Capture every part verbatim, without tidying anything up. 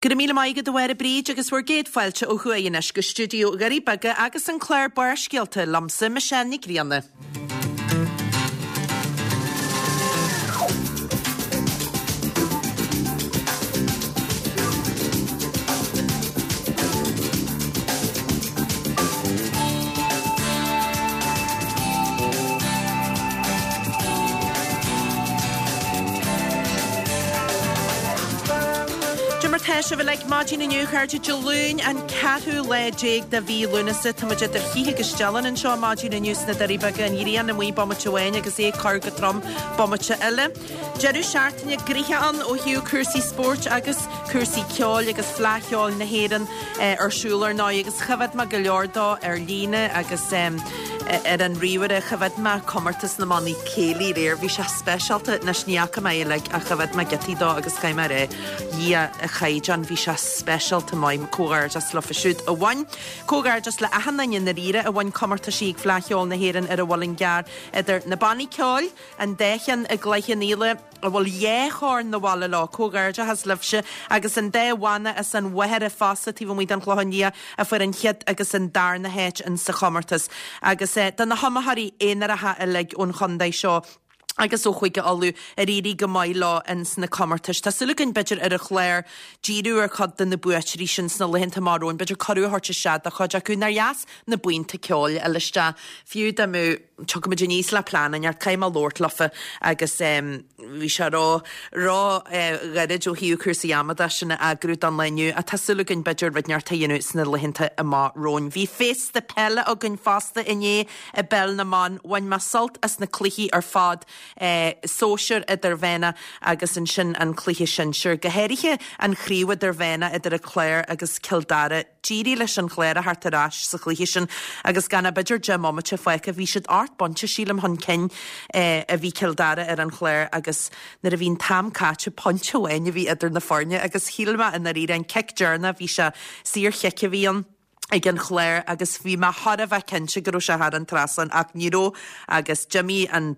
Go raibh míle maith agat a Mháire Bríd agus bhur gcéad fáilte ó thuaidh anois go stiúideo Dhoirí Beaga agus an clár Barrscéalta liomsa, Michelle Nic Grianna. Cad é mar tá sibh uilig maidin inniu, a chairde, Dé Luain an ceathrú lá déag de mhí Lúnasa. Tá muid idir chith agus dealán anseo maidin inniu sna Doirí Beaga, an ghrian amuigh bomaite amháin agus é ag cur go trom bomaite eile. Deireadh seachtaine gnoitheach ann ó thaobh cúrsaí spóirt agus cúrsaí ceoil agus Fleadh Cheoil na hÉireann ar siúl ar ndóigh agus choimhéad mé go leor dó ar líne agus ar an ríomhaire. Choimhéad mé comórtas na mbannaí céilí aréir, bhí sé speisialta. Anois ní fhaca mé é uilig ach choimhéad mé giotaí dó agus chaith mé ar Dhia a chaighdeán, bhí sé speisialta maith. Comhghairdeas leofa siúd a bhain. Comhghairdeas le achan duine i ndáiríre a bhain comórtaisí ag Fleadh Cheoil na hÉireann ar an Mhuileann gCearr idir na bannaí ceoil, An dá cheann i gCloich Cheann Fhaola a bhfuil dhá chorn 'na bhaile leo, comhghairdeachas libhse, agus an dá bhanna as an Mhachaire fosta taobh amuigh den Chlochán Liath a fuair an chéad agus an darna háit in sa chomórtas. Agus do na hiomaitheoirí aonaracha uilig ón chontae seo agus ó Chúige Uladh ar éirigh go maith leo in sna comórtais. Tá súil againn b'fhéidir ar an chlár díriú ar chuid de na buaiteoirí sin sna laethanta amach romhainn, b'fhéidir cuireadh a thabhairt isteach do chuid acu. Nár dheas na buíonta ceoil a fháil isteach, fiú dá mbeadh tiocfaimid aníos le plean inteacht, caithfidh mé labhairt leofa agus bhí sé ró, ró ghairid ó thaobh cúrsaí ama de sin a eagrú don lá inniu ach tá súil againn b'fhéidir rud inteacht a dhéanamh sna laethanta amach romhainn. Bhí féasta peile againn fosta inné i bPeil na mBan. Bhain mé sult as na cluichí ar fad, sóisir, idirmheánach agus ansin an cluiche sinsir, go háirithe an chraobh idirmheánach idir an Clár agus Cill Dara. D'éirigh leis an Chlár a theacht ar ais sa chluiche sin agus gan ach b'fhéidir deich mbomaite fágtha bhí siad ocht bpointe sílim chun cinn a bhí Cill Dara ar an Chlár agus nuair a bhí an t-am caite pointe amháin a bhí idir na foirne agus shíl mé i ndáiríre an cic deireanach bhí sé saorchic a bhí ann ag an Chlár agus bhí mé thar a bheith cinnte go raibh sé thar an trasnán ach ní raibh agus d'imigh an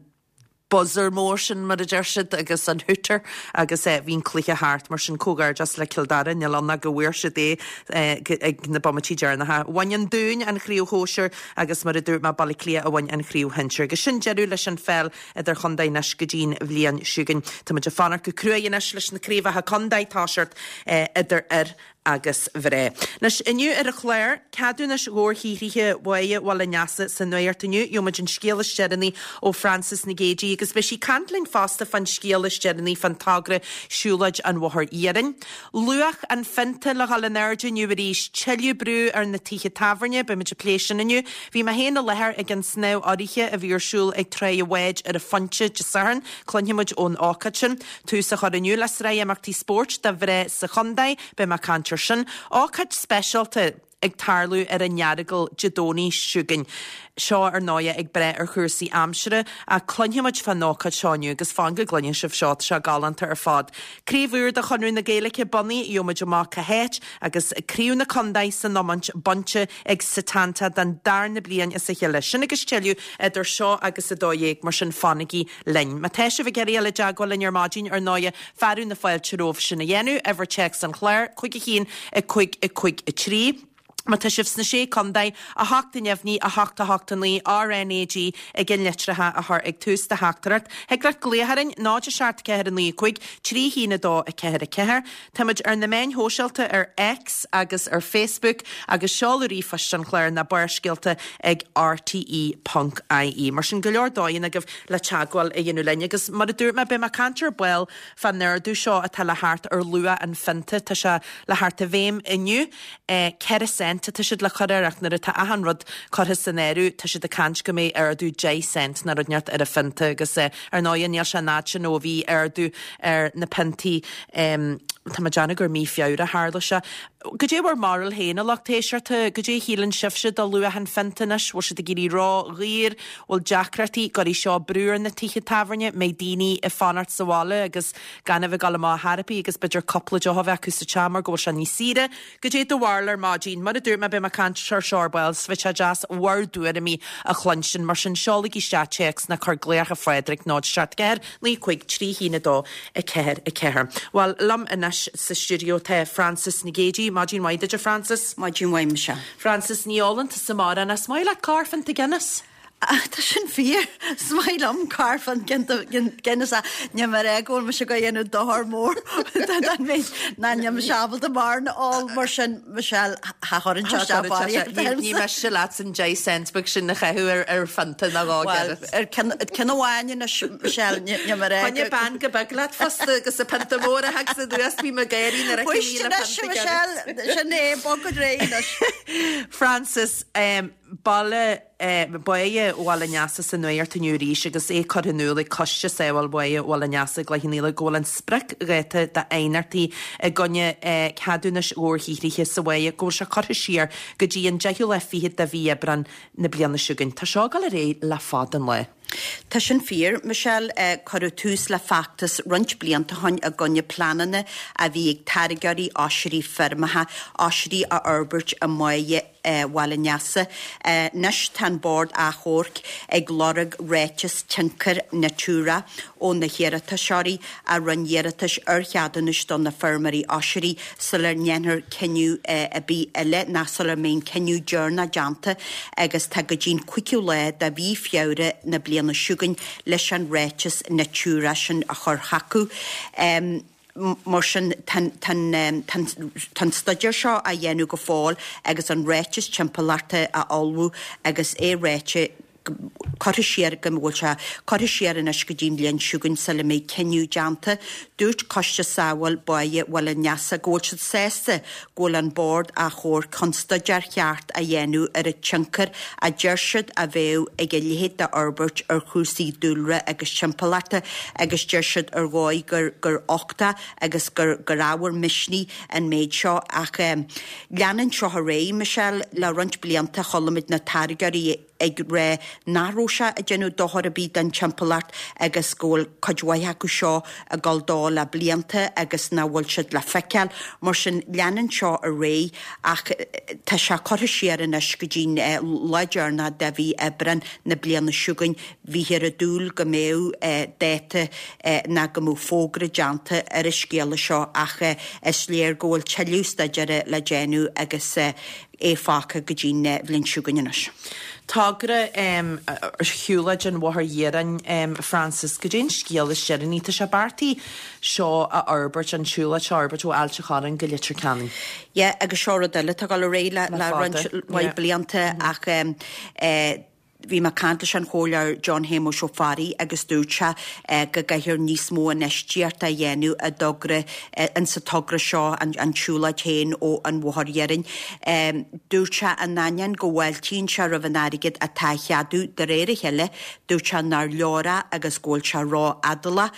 buzzer mór sin mar a deir siad agus an hooter agus bhí an cluiche thart mar sin comhghairdeas le Cill Dara níl ann ach go bhfuair siad é ag na bomaití deireanacha. Bhain an Dún an chraobh shóisir agus mar a dúirt mé Baile Átha Cliath a bhain an chraobh shinsir. Agus sin deireadh leis an pheil idir chontae anois go dtí'n bhliain seo chugainn. Tá muid ag fanacht go cruaidh anois leis na craobhacha contae toiseacht idir fhir agus mhná. Anois, inniu ar an chlár, ceadúnais dhobharshaothraithe Bháighe Bhaile an Easa sa nuacht inniu, gheobhaimid an scéal is deireanaí ó Frances Nic Géadaigh agus beidh sí ag caint linn fosta fán scéal is deireanaí fán togra Siúlóid an Bhóthair Iarainn. Luach an phionta le dhul in airde inniu arís, tuilleadh brú ar na tithe tábhairne, beidh muid ag plé sin inniu. Bhí mé féin i láthair ag an snámh urraithe a bhí ar siúl ag Tráigh a' Bháid ar an Phointe Dé Sathairn, cluinfidh muid ón ócáid sin. Tús á chur inniu le sraith imeachtaí spóirt do mhná sa chontae, beidh mé ag caint air sin. Ócáid speisialta ag tarlú ar an Earagail Dé Domhnaigh seo chugainn. Seo ar ndóighe ag brath ar chúrsaí aimsire ach cluinfidh muid fán ócáid seo inniu agus fan go gcluinfidh sibh seo, tá sé galánta ar fad. Craobh úr de Chonradh na Gaeilge bunaithe, gheobhaidh muid amach cá háit agus Craobh na Contae san iomáint bainte ag Setanta don darna bliain as a chéile. Sin agus tuilleadh idir seo agus a dó dhéag, mar sin fanaigí linn. Má tá sibh ag iarraidh dul i dteagmháil linn ar maidin ar ndóighe, fearadh na fáilte romhaibh sin a dhéanamh, uimhir téacs an chláir, cúig a haon, a cúig, a cúig, a trí. Má tá sibh sna Sé Contae, a hocht a neamhní, a hocht a hocht a naoi, RnaG ag an litreacha a chur ag tús do theachtaireacht. Thig leat glaoch orainn, náid a seacht ceathair a naoi a cúig, trí haon a dó a ceathair a ceathair. Táimid ar na meáin shóisialta ar X agus ar Facebook agus seoladh ríomhphoist an chláir ná barrscéalta ag rte ponc ie. Mar sin go leor dóigheanna agaibh le teagmháil a dhéanamh linn agus mar a dúirt mé beidh mé ag caint ar ball fán ardú seo atá le theacht ar luach an phionta. Tá sé le theacht i bhfeidhm inniu. Ceithre cent atá siad le cur air ach nuair atá achan rud curtha san áireamh tá siad ag caint go mbeidh ardú deich cent nó rud inteacht ar an phionta agus ar ndóighe níl sé an fhad sin ó bhí ardú ar na piontaí tá mé ag déanamh gur mí Feabhra a tharla sé. Goidé bhur mbarúil féin a lucht éisteachta, goidé a shíleann sibhse de luach an phionta anois, bhfuil siad ag éirí ró-dhaor, bhfuil deacrachtaí, gcuirfidh seo brú ar na tithe tábhairne, mbeidh daoine ag fanacht sa bhaile agus gan a bheith ag dul amach ar chor ar bith agus b'fhéidir cúpla deoch a bheith acu sa teach mar go bhfuil sé níos saoire. Goidé do bharúil ar maidin, mar a dúirt mé beidh mé ag caint ar seo ar ball, 's bheadh sé deas bhur dtuairimí a chluinstin, mar sin seolaigí isteach téacs ná cuir glaoch ar Phádraig náid seacht ceathair naoi cúig trí haon a dó a ceathair a ceathair. Bhuel, liom anois sa stiúideo tá Frances Nic Géadaigh, maidin mhaith duit a Frances. Maidin mhaith Michelle. Frances ní ólann tusa mórán, is maith leat corrphionta Guinness. Tá sin fíor is maith liom corrphionta Guinness níl mé ag rá go bhfuil mise ag déanamh dochar mór don méid ná níl mise ábalta mórán a ól mar sin Michelle cha chuireann sé isteach barraíocht Ní miste leat an deich cent beag sin a chaitheamh ar ar phionta nó dhá Well ar ceann amháin anois Michelle níl mé ag rá Choinnigh bean go beag leat fosta agus a pionta mór a thags anuas bhí mé ag éirí nuair a Fuist anois Michelle sin é bog go réidh anois. Frances um, baile Báighe Bhaile an Easa sa nuacht inniu arís agus é curtha in iúl ag Coiste Sábháil Bháighe Bhaile an Easa i gCloich Cheann Fhaola go bhfuil an spriocdháta d'aighneachtaí i gcoinne ceadúnais dhobharshaothraithe sa bháighe go bhfuil sé curtha siar go dtí an deichiú lá fichead de mhí Aibreán na bliana seo chugainn. Tá seo ag dul ar aghaidh le fada an lá. Tá sin fíor, Michelle. Cuireadh tús le feachtas roinnt blianta ó shin i gcoinne pleananna a bhí ag táirgeoirí oisrí feirmeacha oisrí a fhorbairt i mbáighe Bhaile an Easa. Anois tá an Bord Achomhairc ag lorg ráiteas tionchair Natura ó na hiarratasóirí a rinne iarratais ar cheadúnais do na feirmeoirí oisrí sula ndéanfar cinneadh ar bith eile ná sula mbeidh an cinneadh deireanach déanta agus tá go dtí'n cúigiú lá de mhí Feabhra na bliana seo chugainn leis an ráiteas Natura sin a chur chucu. Mar sin, tá an staidéar seo á dhéanamh go fóill agus an ráiteas timpeallachta á ullmhú agus é ráite curtha siar go bhfuil sé curtha siar anois go dtí an bhliain seo chugainn sula mbeidh cinneadh déanta. Dúirt Coiste Sábháil Báighe Bhaile an Easa go bhfuil siad sásta go bhfuil an Bord Achomhairc chun staidéar cheart a dhéanamh ar an tionchar a deir siad a bheadh ag a leithéid d'fhorbairt ar chúrsaí dúlra agus timpeallachta agus deir siad ar dhóigh gur gur uchtach agus gur gur ábhar misnigh an méid seo ach leanann seo ar aghaidh, Michelle, le roinnt blianta chuala muid na táirgeoirí ag rá nach raibh sé ag déanamh dochar ar bith don timpeallacht agus go bhfuil cuid mhaith acu seo ag dul dó le blianta agus nach bhfuil siad le feiceáil. Mar sin, leanann seo ar aghaidh ach tá sé curtha siar anois go dtí'n lá deireanach de mhí Aibreán na bliana seo chugainn. Bhíthear ag dúil go mbeadh dáta ná go mbeadh fógra déanta ar an scéala seo ach is léir go bhfuil tuilleadh staidéir le déanamh agus é fágtha go dtí'n bhliain seo chugainn anois. Togra ar shiúlóid an Bhóthair Iarainn, Frances, goidé an scéal is deireanaí. Tá sé beartaithe seo a fhorbairt, an tsiúlóid seo a fhorbairt ó Ailt an Chorráin go Leitir Ceanainn. Yeah, agus seo rud eile atá ag dul ar aghaidh le le roinnt mhaith blianta ach bhí mé ag caint leis an Chomhairleoir John Shéamuis Ó Fearraigh agus dúirt sé go gcaithfear níos mó infheistíochta a dhéanamh i dtogra, in sa togra seo, an tsiúlóid féin ó an Bhóthar Iarainn. Dúirt sé in ainneoin go bhfáiltíonn sé roimh an airgead atá á cheadú de réir a chéile, dúirt sé nár leor é agus go bhfuil sé ró-fhadálach.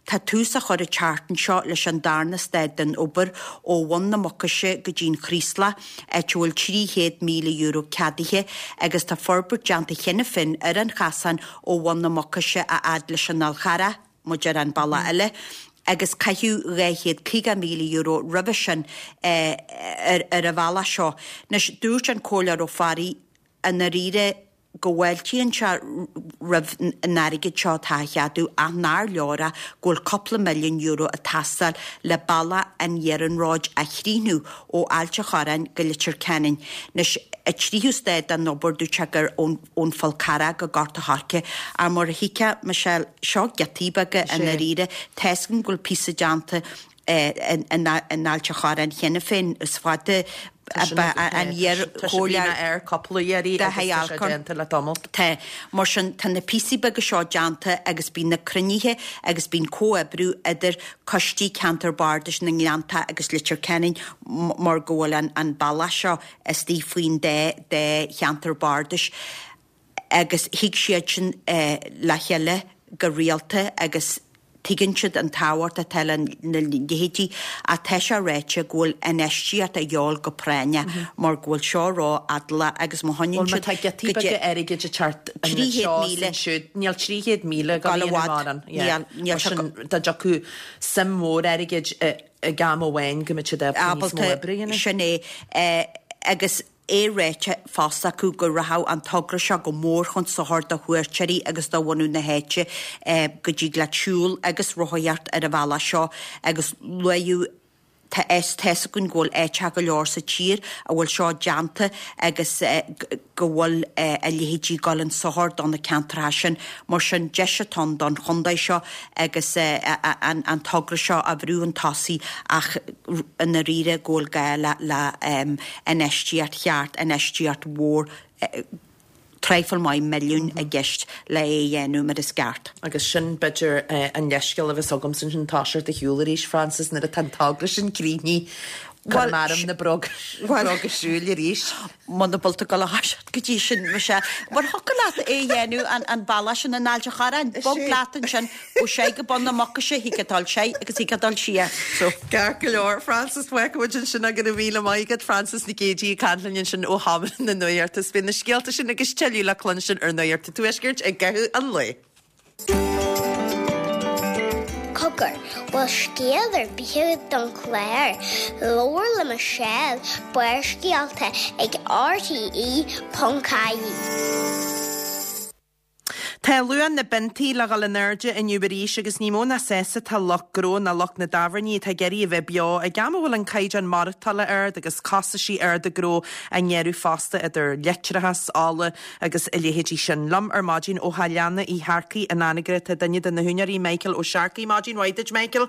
Tá tús á chur an tseachtain seo leis an darna staid den obair ó Bhun na Mucaise go dtí'n Chraoslach, áit a bhfuil trí chéad míle euro ceadaithe agus tá forbairt déanta cheana féin ar an chasán ó Bhun na Mucaise a fhad leis an Fhál Charrach, muid ar an bealach eile, agus caitheadh dhá chéad caoga míle euro roimhe sin ar an bhealach seo. Anois, dúirt an Comhairleoir Ó Fearraigh i ndáiríre, go bhfáiltíonn sé roimh an airgead seo atá á cheadú ach nár leor é, go bhfuil cúpla milliún euro ag teastáil le bealach an iarnróid a chríochnú ó Ailt an Chorráin go Leitir Ceanainn. Anois, an tríú staid den obair, dúirt sé gur ón Fál Carrach go Gort a' Choirce, ach mar a thuigfeá, Michelle, seo giotaí beaga i ndáiríre. Tá's agam go bhfuil píosa déanta in Ailt an Chorráin cheana féin, is fada an iar-chomhairleoir ar cúpla iarraidh agus tá sé déanta le tamall. Tá. Mar sin, tá na píosaí beaga seo déanta agus bíonn na cruinnithe agus bíonn comhoibriú idir coistí ceantar bardais na nGleanntach agus Leitir Ceanainn mar go bhfuil an bealach seo istigh faoin dá cheantar bardais agus thig siad sin le chéile go rialta agus Tuigeann siad an tábhacht atá le na leithéidí ach tá sé ráite go bhfuil infheistíocht a dhíobháil go práinneach mar go bhfuil seo ró-fhadálach agus má choinníonn Bhuel, má siad tá giotaí go dtí beaga airgid ag teacht trí chéad anseo is míle ansiúd, níl trí chéad míle ag dul dul i i bhfad. mórán. Yeah. Níl, níl Mar sé sin, go. dá dtiocfadh suim mhór airgid ag am amháin go mbeadh siad ábalta níos mó ábalta oibre a dhéanamh. sin é. Agus. É ráite fosta acu go rachadh an togra seo go mór chun sochair do chuairteoirí agus do bhunadh na háite, go dtig leat siúl agus rothaíocht ar an bhealach seo agus luadh Tá fhios againn go bhfuil áiteacha go leor sa tír a bhfuil seo déanta agus go bhfuil a leithéidí ag dul chun sochair do na ceantracha sin. Mar sin, deis atá ann don chontae seo agus an togra seo a bhrú chun tosaigh ach i ndáiríre go bhfuil gá le infheistíocht cheart, infheistíocht mhór, traidhfil maith milliún i gceist le é a dhéanamh mar is ceart. Agus sin, b'fhéidir, an leithscéal a bheas agamsa ansin toiseacht ar shiúl arís, Frances, nuair atá an togra sin críochnaithe, cuirfidh mé orm na bróga siúil arís. Muna bhfuil tú ag dul a thoiseacht go dtí sin, muise, mar thiocfadh leat é a dhéanamh an bealach sin in Ailt an Chorráin, bog leat ansin ó sé go bun na Mucaise, thig leat dul soir agus thig leat dul siar. So. Ceart go leor, Frances, fágfaidh muid ansin go raibh míle maith agat, Frances Nic Géidigh ag caint linn ansin ó sheomra na nuachta. Is beidh na scéalta sin agus tuilleadh le cluinstin ar Nuacht an Tuaiscirt i gcaitheamh an lae. Cogar, bhfuil scéal ar bith agat don chlár? Labhair le Michelle, Barrscéalta ag RTE ponc ie. Tá luach na bpiontaí le dhul in airde inniu arís agus ní mó ná sásta atá lucht gnó ná lucht na dtábhairní atá ag iarraidh a bheith beo ag am a bhfuil an caighdeán maireachtála ard agus costaisí arda gnó á ngearradh fosta idir leictreachas, ola agus a leithéidí sin. Liom ar maidin ó Theach Leanna Uí Shearcaigh in Anagaire tá duine de na húinéirí, Michael Ó Searcaigh. Maidin mhaith duit, Michael.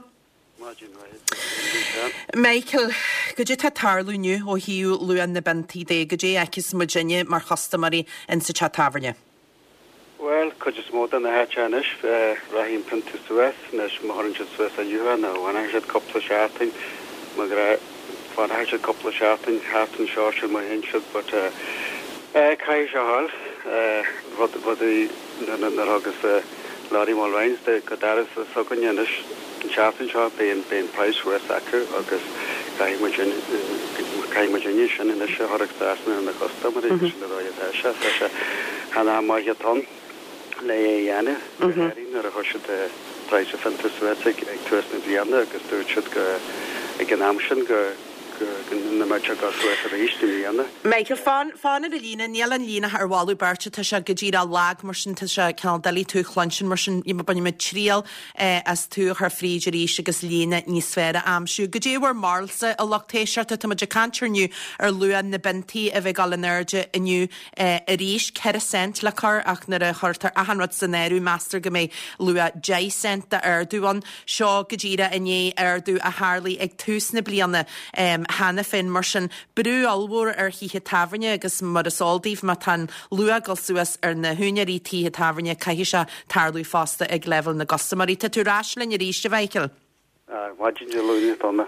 Maidin mhaith duit. Michael, goidé tá ag tarlú inniu ó thaobh luach na bpiontaí de, goidé a fheiceas muidinne mar chustaiméirí insa teach tábhairne? Bhuel, cuid is mó de na háiteacha anois, rachaidh an pionta suas, anois má chuireann siad suas inniu é nó fanfaidh siad cúpla seachtain, má fanfaidh siad cúpla seachtain thart anseo sin má théann siad but eh caithfidh sé a ghabháil, rud, rudaí nuair a thugas Lorry Mulrines de go doras s'againne anois an tseachtain seo beidh an, beidh an price suas acu agus caithfidh muid, caithfidh muidinne sin anois a chur trasna ar na custaiméirí agus sin an dóigh atá sé, tá sé chan am maith atá ann le é a dhéanamh, go háirithe nuair a chuir siad praghas an phionta suas ag tús na bliana agus dúirt siad go ag an am sin go go nach mbeadh sé ag dul suas arís i mbliana. Michael, fan, fan ar an líne, níl an líne ar mholadh beirte, tá sé go díreach lag mar sin, tá sé cineál doiligh tú a chluinstin mar sin, bainfidh muid triail as tú a chur fríd arís agus líne níos fearr a aimsiú. Goidé bhur mbarúilsa, a lucht éisteachta, tá muid ag caint inniu ar luach na bpiontaí a bheith ag dul in airde inniu arís, ceithre cent le cur ach nuair a chuirtear achan rud san áireamh meastar go mbeidh luach deich cent d'ardú ann. Seo go díreach i ndiaidh ardú a tharlaigh ag tús na bliana cheana féin. Mar sin, brú ollmhór ar thithe tábhairne agus mar is eol daoibh má tá an luach ag dul suas ar na húinéirí tithe tábhairne caithfidh sé tarlú fosta ag leibhéal na gcustaiméirí. Tá tú ar ais linn arís, a Mhichael? Maidin Dé Luain atá ann.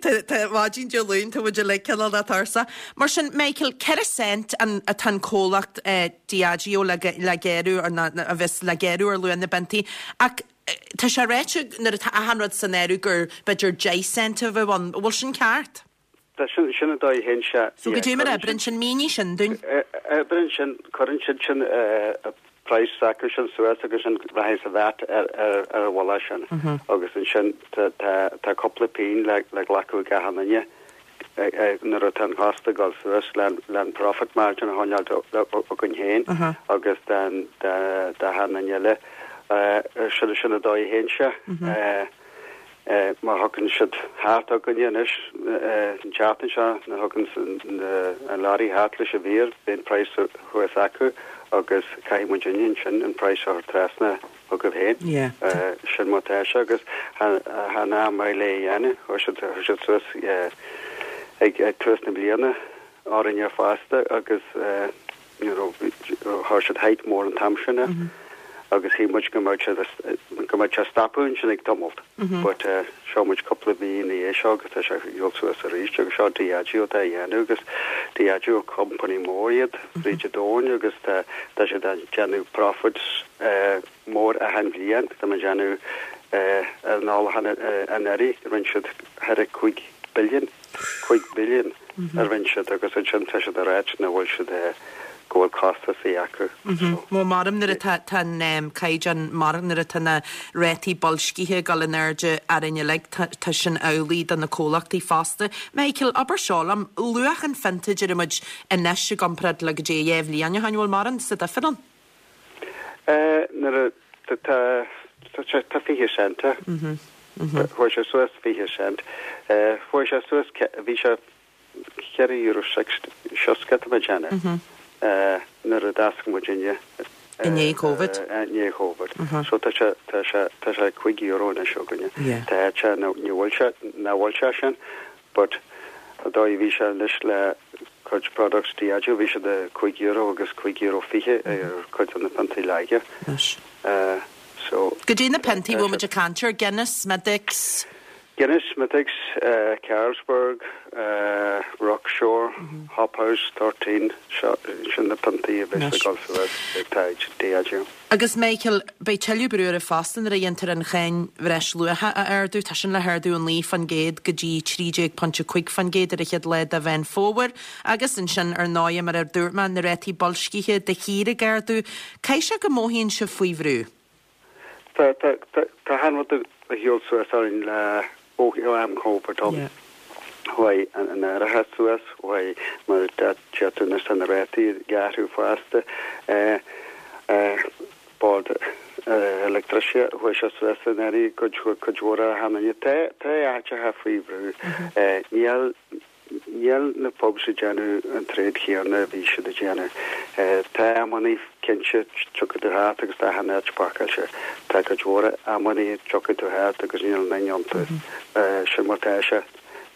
Tá maidin Dé Luain, tá muid uilig cineál de tuirseach. Mar sin, Michael, ceithre cent an atá an comhlacht Diageo le le géarú ar na a bheas le géarú ar luach na bpiontaí ach tá sé ráite nuair atá achan rud san áireamh gur b'fhéidir deich cent a bheadh ann. An bhfuil sin ceart? Tá sin sin an dóigh a théann sé. So goidé mar a oibreann sin, mínigh sin dúinn. Oibreann sin, cuireann siad sin praghas s'acu sin suas agus sin rachaidh sa VAT ar ar ar an mhullach sin agus ansin tá tá tá cúpla pingin le le glacadh ag achan duine nuair atá an cost ag dul suas le le an profit margin a choinneáil againn féin agus den de d'achan duine eile. Sin sin an dóigh a théann sé. Má thagann siad thart againne anois an tseachtain seo, nuair a thagann an lorry thart leis an bheer, beidh an praghas thuas acu agus caithfidh muidinne ansin an praghas a chur trasna chugaibh féin. Sin mar atá sé agus chan am maith le é a dhéanamh. Chuir siad chuir siad suas ag tús na bliana orainne fosta agus you know, chuir siad hike mór an t-am sin air agus shíl muid go mbeadh sé go mbeadh sé stopadh ansin ag tamalt but seo muid cúpla mí ina dhiaidh seo agus tá sé ag dul suas arís agus seo Diageo atá á dhéanamh agus Diageo company mór iad fríd an domhain agus tá tá siad ag déanamh profits mór achan bhliain tá muid ag déanamh ar an ólachán anuraidh rinne siad thar cúig billion cúig billion a rinne siad agus ansin tá siad ag ráit nach bhfuil siad go bhfuil costasaí acu. Mo maram nuair atá tá an caighdeán mar nuair atá na rátaí boilscithe ag dul in airde orainn uilig tá sin amhlaidh do na comhlachtaí fosta. Michael, abair seo liom, luach an phionta deir muid anois i gcomparáid le go dtí dhá bhliain ó shin bhfuil mórán sa difear ann? Nuair a tá tá fiche cent. Chuaigh sé suas fiche cent. Chuaigh sé suas bhí sé ceithre euro seasca tá mé ag déanamh. Nuair a d'oscail muidinne. I ndiaidh Covid? I ndiaidh Covid. So tá sé tá sé tá sé cúig euro anois againne. Tá sé ní bhfuil sé ná bhfuil sé sin, but dóigh bhí sé anois le cuid products Diageo bhí sé de cúig euro agus cúig euro fiche ar cuid de na piontaí laige. So Goidé na piontaí bhfuil muid ag caint ar Guinness, Smithwick's? Guinness, Smithwick's, uh, Carlsberg, uh, Rockshore, mm -hmm. Hop House thirteen, sin na piontaí a bheas ag dul suas ag Diageo. Agus Michael, beidh tuilleadh brú oraibh fosta nuair a dhéantar an cháin bhreisluacha a ardú, tá sin le hardú naoi faoin gcéad go dtí trí déag pointe cúig faoin gcéad ar an chéad lá de Mheán Fómhair, agus ansin ar ndóigh mar a dúirt mé na rátaí boilscithe de shíor ag ardú. Caithfidh sé go mothaíonn sibh faoi bhrú? Tá tá tá tá achan rud a shiúl suas orainn le ó am Covid um. Chuaigh an an árachas suas, chuaigh mar deir tú anois tá na rátaí ag athrú fosta. Eh eh bord leictreachais chuaigh sé suas in airí cuid cuid mhór a tháinig tá tá áiteacha faoi bhrú. Eh níl níl na pubs ag déanamh an trade chéanna a bhí siad ag déanamh. Tá amannaí cinnte tiocfaidh tú thart agus tá achan áit pacáilte. Tá cuid mhór amannaí tiocfaidh tú thart agus níl aon duine iontu. Sin mar tá sé.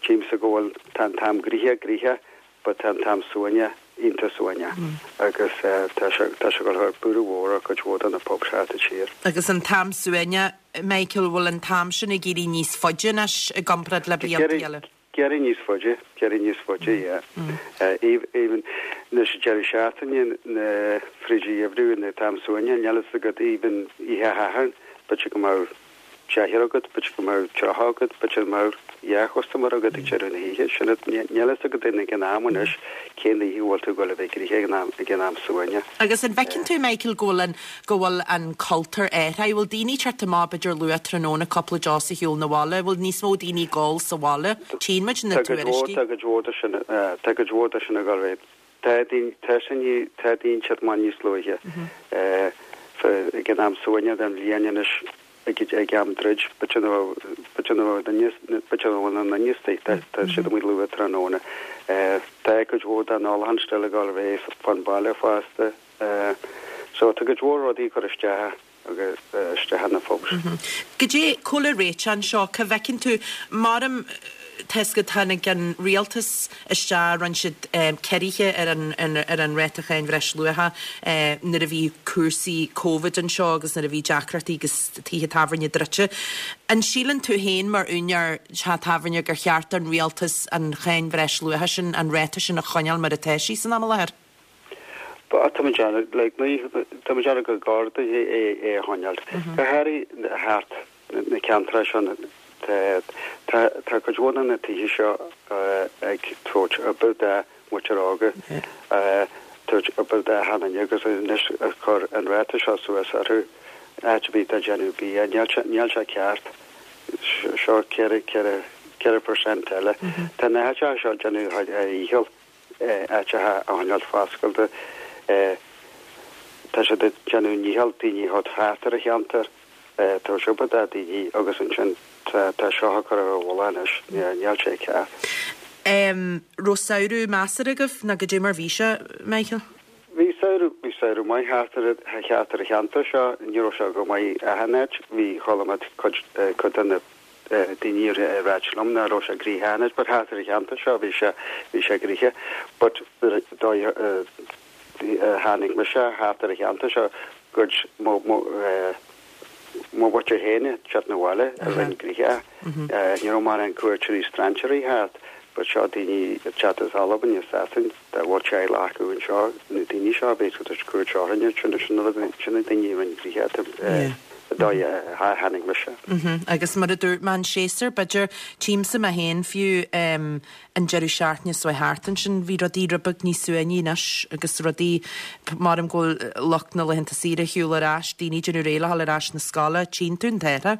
Tchímse go bhfuil tá an t-am gnoitheach gnoitheach, but tá an t-am suaimhneach iontach suaimhneach. Agus tá sé tá sé go brú mhór ar cuid mhór de na pubs thart an tír. Agus an t-am suaimhneach, Michael, bhfuil an t-am sin ag éirí níos faide anois i gcomparáid le blianta eile? Ag éirí níos faide, ag éirí níos faide, yeah. Even anois an deireadh seachtaine na fríd an gheimhreadh na t-am suaimhneach, níl a fhios agat even oíche Shathairn, b'fhéidir go mbeadh deichniúr agat, b'fhéidir go mbeadh tríocha agat, b'fhéidir go mbeadh dhá chustaiméir agat ag deireadh na hoíche. Sin níl a fhios agat ag an am anois cén oíche bhfuil tú ag dul a bheith gnoitheach ag an am ag an am suaimhneach. Agus an bhfeiceann tú, Michael, go bhfuil an go bhfuil an cultúr athraithe? Bhfuil daoine ag teacht amach b'fhéidir luath tráthnóna cúpla deos a shiúl na bhaile? Bhfuil níos mó daoine ag ól sa bhaile? Tchíonn muid na Tá cuid mhór tuairiscí. tá cuid mhór de sin tá cuid mhór de sin ag dul réidh. Tá daoine tá sin tá daoine ag teacht amach níos luaithe. Ag an am suaimhneach den bhliain anois ag ag am druid, b'fhéidir b'fhéidir b'fhéidir bhfuil na níos tá tá siad amuigh luath tráthnóna. Tá cuid mhór den ólachán still ag dul réidh fan baile fosta. So tá cuid mhór rudaí cur isteach agus isteach na pubs. Goidé cá bhfuil an réiteach anseo, cá bhfeiceann tú maram toisc go tháinig an rialtas isteach rinne siad ciorruithe ar an ar an ráta cháin bhreisluacha nuair a bhí cúrsaí Covid anseo agus nuair a bhí deacrachtaí agus tithe tábhairne druidte. An síleann tú féin mar úinéir teach tábhairne gur cheart an rialtas an cháin bhreisluacha sin an ráta sin a choinneáil mar atá sí san am i láthair? Ba tá déanamh like tá déanamh go garda é é é a choinneáil. Go háirithe thart na ceantair sin tá tá cuid mhór de na tithe seo ag tabhairt obair do mhuintir óga tabhairt obair do achan duine agus anois a chur an ráta seo suas orthu áit a bhí tá déanamh bia níl sé níl sé ceart seo ceithre ceithre ceithre percent eile. Tá na háiteacha seo déanamh a dhícheall áiteacha a choinneáil foscailte tá siad ag déanamh dícheall daoine a thart ar a cheantar tá sé obair do daoine agus ansin tá seo a chur ar a bhfuil anois níl sé ceart. Um, raibh samhradh measartha agaibh nó goidé mar bhí sé, Michael? Bhí samhradh bhí samhradh maith thart ar thart ar an cheantar seo ní raibh sé go maith achan áit bhí chuala mé cuid cuid de na daoine ag ráit liom nach raibh sé gnoitheach achan áit, but thart ar an cheantar seo bhí sé bhí sé gnoitheach, but tháinig mise thart ar an cheantar seo cuid mo mo mo mhuintir féin ag teacht na bhaile a rinne gnoitheach. Ní raibh mórán cuairteoirí strainséirí thart, but seo daoine ag teacht as Albain is Sasain dá bhfuil teaghlach acu anseo na daoine seo a bhí ag tabhairt cuairt orainne sin sin sin na daoine a rinne gnoitheach dóigh a tháinig mise. Agus mar a dúirt mé an séasúr, b'fhéidir, tchímse mé féin fiú an deireadh seachtaine seo thart ansin, bhí rudaí rud beag níos suaimhní anois agus rudaí, maram go bhfuil lucht na laethanta saoire ar shiúl ar ais, daoine ag déanamh réidh le dhul ar ais na scoile, tchíonn tú an t-athrú.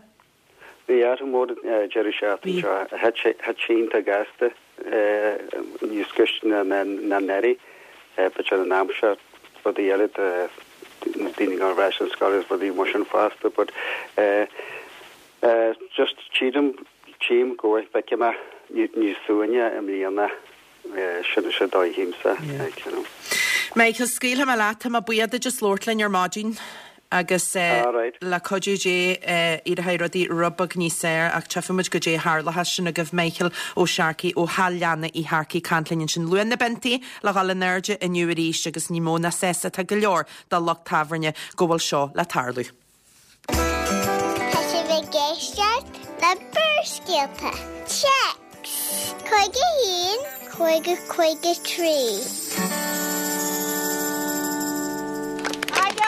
Bhí athrú mór an deireadh seachtaine seo. Thit sé iontach gasta níos gaiste ná anuraidh. B'fhéidir an aimsir, rudaí eile, na daoine ag dul ar ais an scoil agus rudaí mar sin fosta but just tchím, tchím go bhfeicfidh mé níos suaimhní i mbliana. Sin sin dóigh a tchímse, you know. Michael, scaoilfidh mé leat, tá mé buíoch duit as labhairt linn ar maidin. Agus le cuidiú Dé éireoidh rudaí rud beag níos fearr ach tchífidh muid goidé a tharlóchas. Sin agaibh Michael Ó Searcaigh ó Shaileanna Uí Shearcaigh ag caint linn ansin. Luach na bpiontaí le dhul in airde inniu arís agus ní mó ná sásta atá go leor de lucht tábhairne go bhfuil seo le tarlú. Tá sibh ag éisteacht le Barrscéalta. Téacs cúig a haon, cúig a cúig a trí.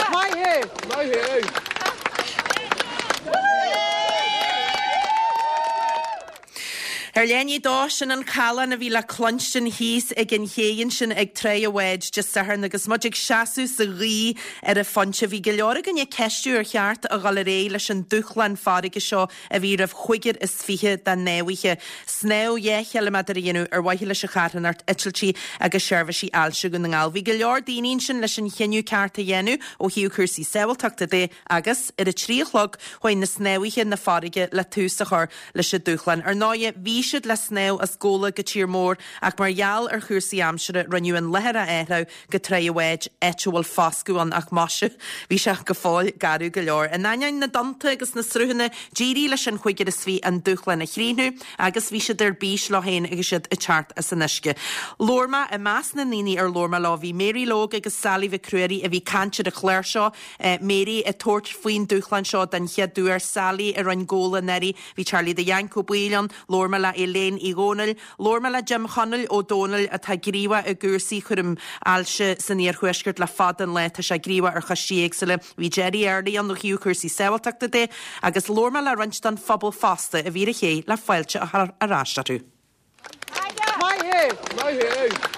Maith thú! Maith thú! Ar leath i ndiaidh a dó, sin an callán a bhí le cluinstin thíos ag an ché ansin ag Tráigh a' Bháid Dé Sathairn agus muid ag seasamh sa ghaoth ar an phointe. Bhí go leor againn ag ceistiú ar cheart a dhul ar aghaidh leis an dúshlán farraige seo a bhí roimh chúigear is fiche de shnámhaithe. Snámh dhá chiliméadar a dhéanamh ar mhaithe leis an charthanacht Eitiltí agus Seirbhísí Ailse Dhún na nGall. Bhí go leor daoine ansin leis an chinneadh ceart a dhéanamh ó thaobh cúrsaí sábháilteachta de agus ar a trí a chlog chuaigh na snámhaithe na farraige le tús a chur leis an dúshlán. Ar ndóighe, bhí siad le snámh as Gabhla go Tír Mór ach mar gheall ar chúrsaí aimsire rinneadh an láthair a athrú go Tráigh a' Bháid, áit a bhfuil foscadh ann ach maise, bhí sé go fóill garbh go leor. In ainneoin na dtonnta agus na sruthanna, d'éirigh leis an chúigear is fiche an dúshlán a chríochnú agus bhí siad ar bís leo féin agus iad ag teacht as an uisce. Labhair mé, i measc na ndaoine ar labhair mé leo bhí Mary Logue agus Sally Mhic Ruairí a bhí ag caint ar an chlár seo, Mary ag tabhairt faoin dúshlán seo den chéad uair, Sally a rinne Gabhla anuraidh, bhí Charlie the Yank Ó Baoill ann, labhair mé le Elaine Uí Dhónaill, labhair mé le Jim Chonaill Ó Dónaill atá gníomhach i gcúrsaí chúram ailse san iarthuaisceart le fada an lá, tá sé gníomhach ar choistí éagsúla, bhí Gerry Early ann ó thaobh cúrsaí sábháilteachta de agus labhair mé le roinnt den phobal fosta a bhí ar an ché le fáilte a chur ar ais orthu. Maith thú! Maith thú!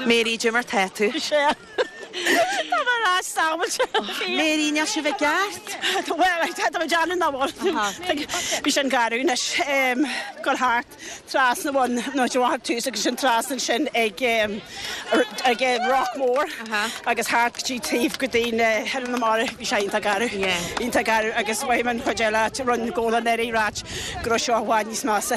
Mary, goidé mar tá tú? Tá mé ar ais sábháilte. Mary, níl sibh i gceart? Bhuel, tá mé déanamh nach bhfuil. Bhí sin garbh anois. Gabháil thart. Trasna bhun nó de bharr tús agus sin trasna ansin ag ag Rock Mór agus thart go dtí taobh go dtí na hOileán na Mara bhí sé iontach garbh. Iontach garbh agus mhaígh an chuid eile a rinne Gabhla anuraidh ráit go raibh seo i bhfad níos measa.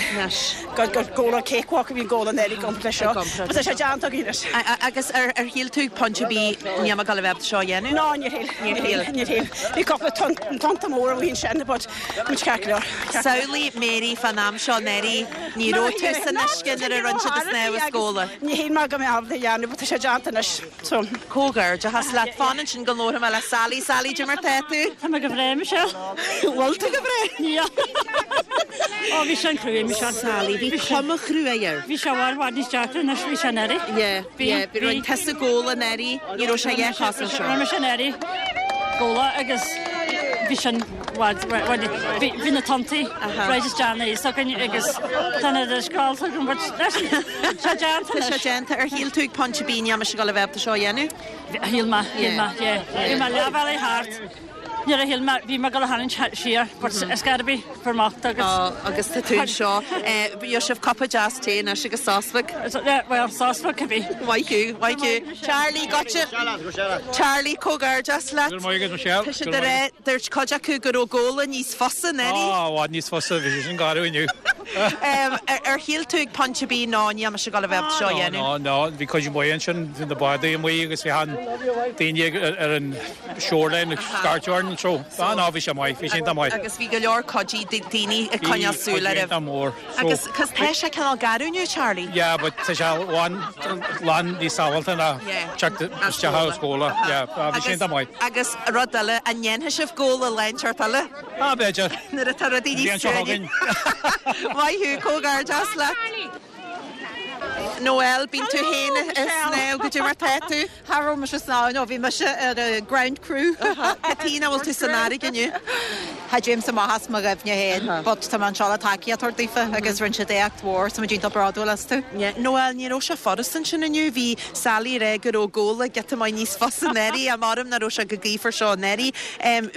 Go go Gabhla cakewalk a bhí in Gabhla anuraidh i gcomparáid leis seo. But tá sé déanta againn anois. Agus ar ar shíl tú ag pointe ar bith níl mé ag dul a bheith ábalta seo a dhéanamh? No, níor shíl. Níor shíl. Níor shíl. Bhí cúpla tonnta mór amuigh ansin but muid ceart go leor. Samhlaigh Mary fán am seo anuraidh, ní raibh tú san uisce nuair a rinne siad an snámh as Gabhla. Ní shíl mé go mbeadh ábalta a dhéanamh but tá sé déanta anois so. Comhghairdeachas leat. Fan ansin go labharfaidh mé le Sally. Sally, goidé mar tá tú? Tá mé go breá, Michelle. Bhfuil tú go breá? Níl. Ó bhí sé an-chrua, Michelle. Sally, bhí cuma chrua air. Bhí sé i bhfad bhfad níos deacra anois bhí sé anuraidh. Yeah, yeah, bhí rinne tusa Gabhla anuraidh, ní raibh sé a dhath cosúil seo. Rinne mise anuraidh Gabhla agus bhí sin Bhí bhí na tonntaí right isteach ina fhios againn agus tá na scráilte agam but tá sé déanta Tá sé déanta. Ar shíl tú ag pointe ar bith níl mise ag dul a bheith ábalta seo a dhéanamh? Shíl mé, shíl mé, yeah. Bhí mé leath bhealaigh thart. Nuair a shíl mé, bhí mé ag dul a tharraingt siar but is gar a bhí fuair mé agus. Ó, agus tá tú anseo. Gheobhaidh sibh cupa deas tae anois agus sos beag. Bhuel, sos beag cibé. Maith thú, maith thú. Charlie, goitse. Charlie, comhghairdeas leat. Go raibh maith agat, Michelle. Tá siad ag rá, dúirt cuid acu go raibh Gabhla níos fusa anuraidh. Á, i bhfad níos fusa, bhí sé sin garbh inniu. Ar shíl tú ag pointe ar bith, no, níl mise ag dul a bheith seo a dhéanamh? No, no, bhí cuid mhaith ansin, bhí na bádaí amuigh agus bhí an daoine ar an shoreline ag scairteadh orainn, so, ah no, bhí sé maith, bhí sé iontach maith. Agus bhí go leor cuid daoine ag coinneáil súil oraibh. Bhí, mór. Agus, cos tá sé cineál garbh inniu, Charlie? Yeah, but tá sé lán, lán níos sábháilte ná teacht isteach as Gabhla, yeah, bhí sé iontach maith. Agus rud eile, an ndéanfaidh sibh Gabhla lá inteacht eile? Ah, b'fhéidir. Nuair atá rudaí níos suaimhní. Maith thú, comhghairdeas leat. Noel, bíonn tú féin ag snámh, goidé mar tá tú? Cha raibh mise ag snámh, no, bhí mise ar an ground crew. Cad chuige nach bhfuil tú san fharraige inniu? Cha dtéimse amach as mo dhuibhne féin, but tá mé anseo le tacaíocht a thabhairt daofa agus rinne siad éacht mhór, so muid iontach bródúil astu. Noel, ní raibh sé furast ansin inniu, bhí Sally ag rá go raibh Gabhla giota maith níos fusa anuraidh, ach maram nach raibh sé chomh gaofar seo anuraidh.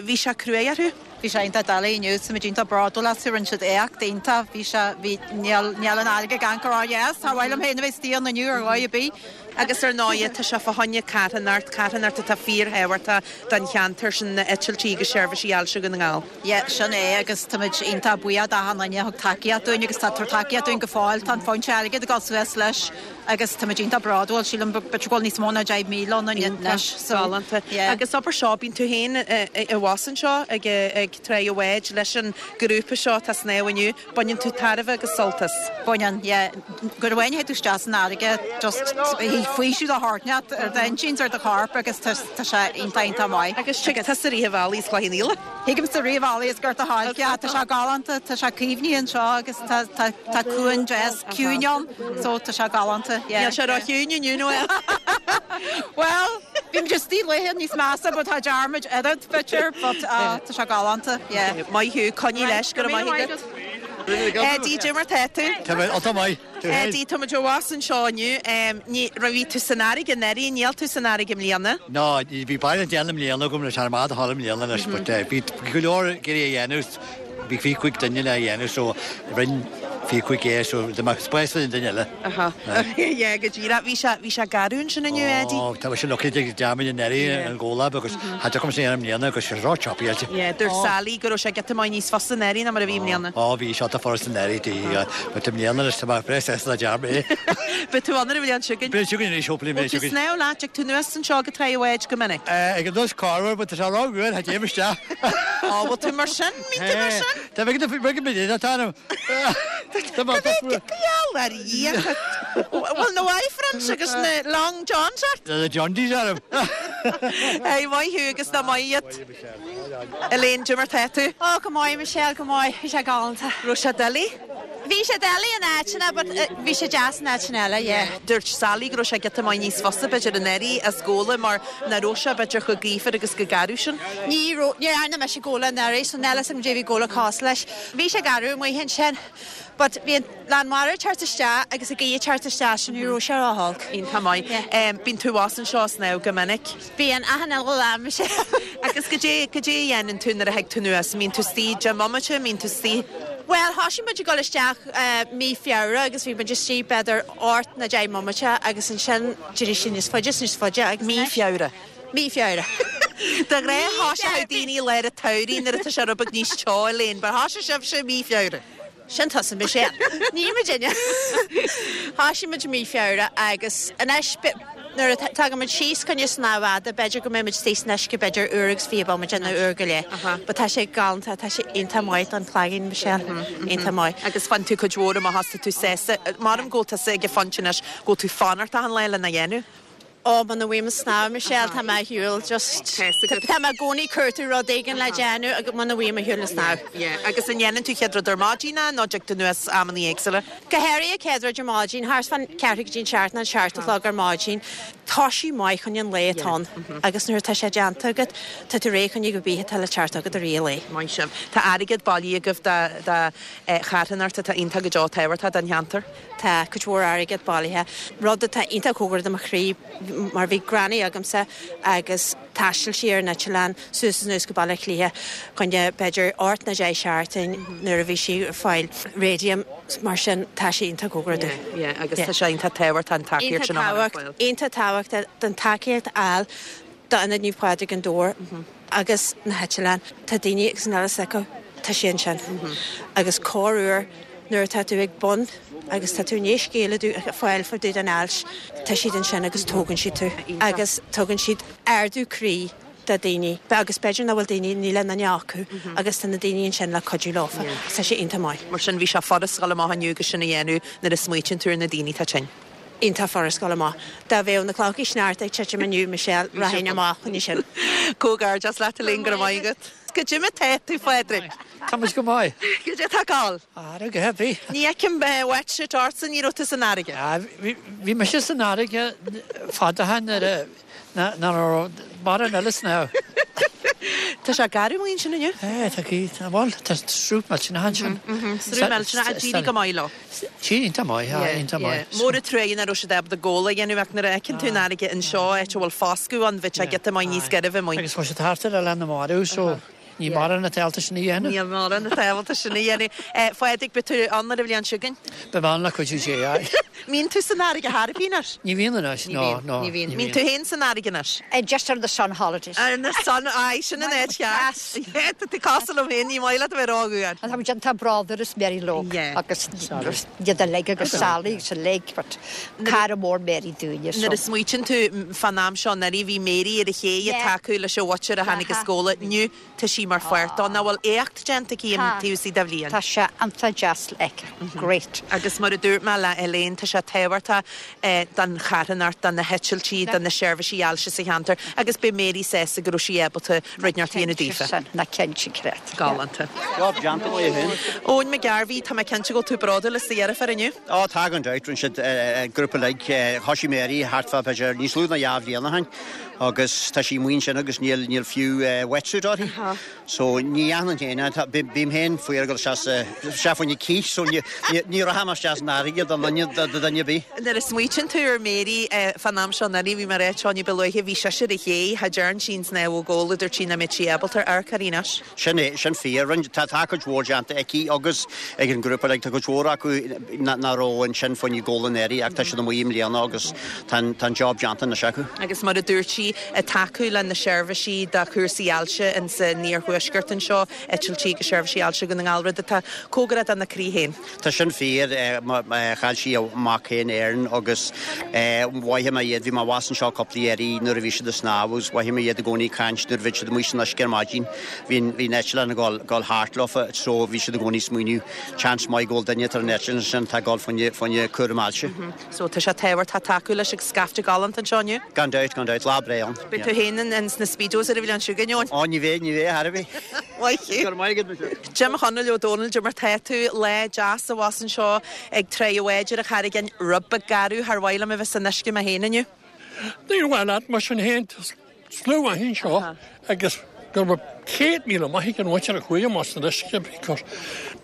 Bhí sé cruaidh orthu? Bhí sé iontach doiligh inniu, so muid iontach bródúil astu, rinne siad éacht iontach, bhí sé, bhí, níl, níl an fharraige ag amharc ródheas, char mhaith liom féin a bheith istigh ann inniu ar dhóigh ar bith. Agus ar ndóighe, tá sé fá choinne carthanacht, carthanacht atá fíorthábhachtach don cheantar sin, na eitiltí agus seirbhísí Ailse Dhún na nGall. Yeah, sin é agus táimid iontach buíoch d'achan duine a thug tacaíocht dúinn agus tá ag tabhairt tacaíocht dúinn go fóill, tá an foinse airgid ag dul suas leis agus táimid iontach bródúil, sílim b'fhéidir go bhfuil níos mó ná deich míle ann anois. So, galánta. Yeah. Agus abair seo, bíonn tú féin abhus anseo ag ag Tráigh an Bháid leis an grúpa seo atá ag snámh inniu, baineann tú tairbhe agus sult as. Baineann, yeah. Nuair amháin a théid tú isteach san fharraige, just faoiseamh de shórt inteacht ar d'intinn 's ar do chorp agus tá sé iontach iontach maith. Agus tig tusa rith an bhealaigh as Cloich Cheann Fhaola? Thigimse rith an bhealaigh as Gort a' Choirce, tá sé galánta, tá sé caomhnaithe anseo agus tá tá tá cuan deas ciúin ann so tá sé galánta, yeah. Níl sé ró-chiúin inniu Noel. Well, bhí muid istigh laethe níos measa but tá dearmad oiread b'fhéidir but tá sé galánta, yeah. Maith thú, coinnigh leis, go raibh maith agat. Eddie, goidé mar tá tú? Tá mé, tá maith. Eddie, tá muid abhus anseo inniu. Ní raibh bhí tú san fharraige anuraidh, níl tú san fharraige i mbliana? No, bhí baile déanamh i mbliana agam leis ar maith a thall i mbliana leis, but bhí go leor ag iarraidh a dhéanamh, bhí fiche cúig duine le dhéanamh so rinne fiche cúig é so tá mé spás don duine eile. Aha. Yeah, go díreach. Bhí sé, bhí sé garbh ansin inniu, Eddie? Ó, tá sé lucky ag dearmad an earraí an gólab agus cha dtiocfaidh sé ar an mbliana agus sé ró-choppy aige. Yeah, dúirt Sally go raibh sé giota maith níos fusa anuraidh ná mar a bhí i mbliana. Ó, bhí sé ata furast anuraidh dí, but i mbliana leis tá mé breá sásta le dearmad é. Beidh tú ann ar an bhliain seo chugainn? Beidh chugainn arís, hopefully beidh chugainn. Bhfuil tú ag snámh leat, tig tú anuas anseo go Traigh an Bháid go minic? Ag an dtus corruair, but tá sé ró-fhuar, cha dtéim isteach. Ó, bhfuil tú mar sin? Bíonn tú mar sin? Tá bheith bheith go tá anam. Tá mé tá fuar. Gheall ar Dhia. Bhfuil na Y-fronts agus na long johns ort? Na Johndies orm. Hey, maith thú agus ná maith iad. Elaine, goidé mar tá tú? Ó, go maith, Michelle, go maith, bhí sé galánta. Raibh sé doiligh? Bhí sé doiligh in áiteanna, but bhí sé deas in áiteanna eile, yeah. Dúirt Sally go raibh sé giota maith níos fusa b'fhéidir anuraidh as Gabhla mar nach raibh sé b'fhéidir chomh gaofar agus chomh garbh sin. Ní raibh, ní dhearna mise Gabhla anuraidh, so níl a fhios agam goidé bhí Gabhla cosúil leis. Bhí sé garbh amuigh ansin, but bhí an lán mara ag teacht isteach agus an ghaoth ag teacht isteach, so ní raibh sé ró-olc. Iontach maith. Bíonn tú abhus anseo ag snámh go minic? Bíonn achan uile lá, Michelle. Agus goidé, goidé a dhéanann tú nuair a thig tú anuas? Mbíonn tú istigh deich mbomaite, mbíonn tú istigh? Well, thosaigh muid ag dul isteach mí Feabhra agus bhí muid istigh b'fhéidir ocht nó deich mbomaite agus ansin d'éirigh sé níos faide is níos faide agus Mí Feabhra. Mí Feabhra. De ghnáth thoiseoidh daoine i lár an tsamhraidh nuair atá sé rud beag níos teo, Elaine, but thosaigh sibhse mí Feabhra. Sin tusa, Michelle. Ní muidinne. Thosaigh muid mí Feabhra agus anois nuair a tagann muid síos chun snámh fhada, b'fhéidir go mbeidh muid istigh san uisce b'fhéidir uair agus fiche bomaite nó uair go leith. But tá sé galánta, tá sé iontach maith don chloigeann, Michelle. Iontach maith. Agus faigheann tú cuid mhór amach as, tá tú sásta. Maram go bhfuil tusa ag an phointe anois go bhfuil tú fanacht achan lá lena dhéanamh. Ó, muna bhfuil mé ag snámh, Michelle, tá mé ar shiúl, just, tá mé i gcónaí ag cuartú rud éigin le déanamh agus muna bhfuil mé ar shiúl ag snámh. Yeah, agus an ndéanann tú chéad rud ar maidin é nó dtig tú anuas amannaí éagsúla? Go háirithe céad rud ar maidin, thart fán ceathrú go dtí an seacht nó an seacht a chlog ar maidin. Tá sí maith chun an lae atá ann agus nuair atá sé déanta agat, tá tú réidh chun cibé atá le teacht agat i rith an lae. Maith sibh. Tá airgead bailithe agaibh do do charthanacht atá iontach go deo tábhachtach don cheantar. Tá cuid mhór airgead bailithe, rud atá iontach cóngarach do mo chroí mar bhí granny agamsa agus thaistil sí ar an eitleán suas is anuas go Baile Átha Cliath chun b'fhéidir ocht nó deich seachtain nuair a bhí sí ag fáil radium mar sin tá sé iontach cóngarach domh. Yeah, agus tá sé iontach tábhachtach an tacaíocht sin a chur ar fáil. Iontach tábhachtach don tacaíocht a fháil d'Ionad Naomh Pádraig an Dobhar agus na heitleáin. Tá daoine agus an eile acu, tá sé ansin. Agus corruair Nuair atá tú ag bun agus tá tú i ndiaidh scéala a fháil fá dtaobh den ailse, tá siad ansin agus tógann siad tú agus tugann siad ardú croí do daoine agus b'fhéidir nach bhfuil daoine níl aon duine acu agus tá na daoine ansin le cuidiú leofa. Tá sé iontach maith. Mar sin bhí sé furast dul amach inniu agus sin a dhéanamh nuair a smaoitíonn tú ar na daoine atá tinn. Iontach furast dul amach. Dá bheadh na clocha sneachta ag titim inniu Michelle rachainn amach chun sin. Comhghairdeas leat Elaine go raibh maith agat. Goidé mar tá tú Phádraig. Tá muid go maith. Goidé tá ag gabháil. Fharraige a bhí. Ní fheicim wetsuit ortsa ní raibh tú san fharraige. Bhí mise san fharraige fada ó shin nuair a nach raibh mórán eile snámh. Tá sé garbh amuigh ansin inniu? É, tá gaoth, tá bhuel, tá sruth millteanach ansin. Sruth millteanach, ach d'éirigh go maith leo. Sí, iontach maith, iontach maith. Mór an truaighe nach raibh siad ábalta gabháil a dhéanamh ach nuair a fheiceann tú an fharraige anseo, áit a bhfuil foscadh ann, bheadh sé giota maith níos gairbhe amuigh. Agus tá siad thart ar Oileán na Marbh, so ní mórán atá ábalta sin a dhéanamh. Níl mórán atá ábalta sin a dhéanamh. Phádraig, beidh tú ann ar an bhliain seo chugainn? Beidh mé ann le cuidiú Dé, aye. Mbíonn tú san fharraige thar bith anois? Ní bhíonn anois, no, no. Ní bhíonn. Mbíonn tú féin san fharraige anois? Just ar the sun holidays. Ar na sun, aye, sin an áit cheart. Yeah, tá tú cosúil liom féin, ní maith leat a bheith rófhuar. Tá muid iontach bródúil as Mary Lóg agus iad uilig agus Sally agus uilig, but cara mór Mary dúinne. Nuair a smaoitíonn tú fán am seo anuraidh, bhí Mary ar an ché ag tacú leis an mhuintir a tháinig as Gabhla. Inniu tá sí mar pháirt dó, nach bhfuil éacht déanta aici an taobh istigh de bhliain. Tá sé iontach deas le feiceáil. Great. Agus mar a dúirt mé le Elaine, tá sé tábhachtach don charthanacht, do na heitiltí, do na seirbhísí ailse sa cheantar agus beidh Mary sásta go raibh sí ábalta rud inteacht a dhéanamh daofa. Ná cinnte creat. Galánta. Job déanta maith féin. Eoin McGarvey, tá mé cinnte go bhfuil tú bródúil as do dheirfiúr inniu. Ó, tá gan dabht, rinne siad grúpa uilig, thosaigh Mary thart fá b'fhéidir níos lú ná dhá bhliain ó shin agus tá sí amuigh ansin agus níl níl fiú wetsuit uirthi. So ní dhéanann féin, bím féin faoi ar go isteach sa fá choinne cith, so ní ní rachaidh mé isteach san fharraige do dhuine do dhuine ar bith. Nuair a smaoitíonn tú ar Mary fán am seo anuraidh, bhí mé ag ráit seo ní ba luaithe, bhí sise ar an ché, cha dtearn sí an snámh ó Ghabhla, dúirt sí nach mbeadh sí ábalta ar amharc uirthi anois. Sin é, sin fíor. Rinne, tá tá cuid mhór déanta aici agus ag an ngrúpa, like, tá cuid mhór acu nach raibh ansin fá choinne Gabhla anuraidh ach tá siad amuigh i mbliana agus tá an tá an job déanta anois acu. Agus mar a dúirt sí, ag tacú le na seirbhísí do chúrsaí ailse in san iarthuaisceart anseo, eitiltí agus seirbhísí ailse Dhún na nGall, rud atá cóngarach dona croí féin. Tá sin fíor, chaill sí a mac féin Aaron agus mhothaigh mé iad, bhí mé abhus anseo cúpla iarraidh nuair a bhí siad ag snámh agus mhothaigh mé iad i gcónaí ag caint nuair a bhí siad amuigh san uisce ar maidin. Bhí bhí an eitleán ag gabháil gabháil thart leofa so bhí siad i gcónaí ag smaoineamh chance maith go bhfuil duine ar an eitleán sin atá ag gabháil fá choinne fá choinne cúram ailse. So tá sé tábhachtach tacú leis agus scaifte galánta anseo inniu? Gan dabht, gan dabht, lá breá ann. Beidh tú féin in sna speedos ar an bhliain seo chugainn, Eoin? Ó, ní bheidh, ní bheidh, thar a bheith. Maith thú. Go raibh maith agat, Michelle. Jim Chonaill Ó Dónaill, goidé mar tá tú, lá deas abhus anseo ag Tráigh an Bháid ar an Charraig Fhinn, rud beag garbh, char mhaith liom a bheith san uisce mé féin inniu. Níor mhaith leat, mar sin féin, tá slua maith anseo agus go raibh céad míle maith ag an mhuintir a chuaigh amach san uisce because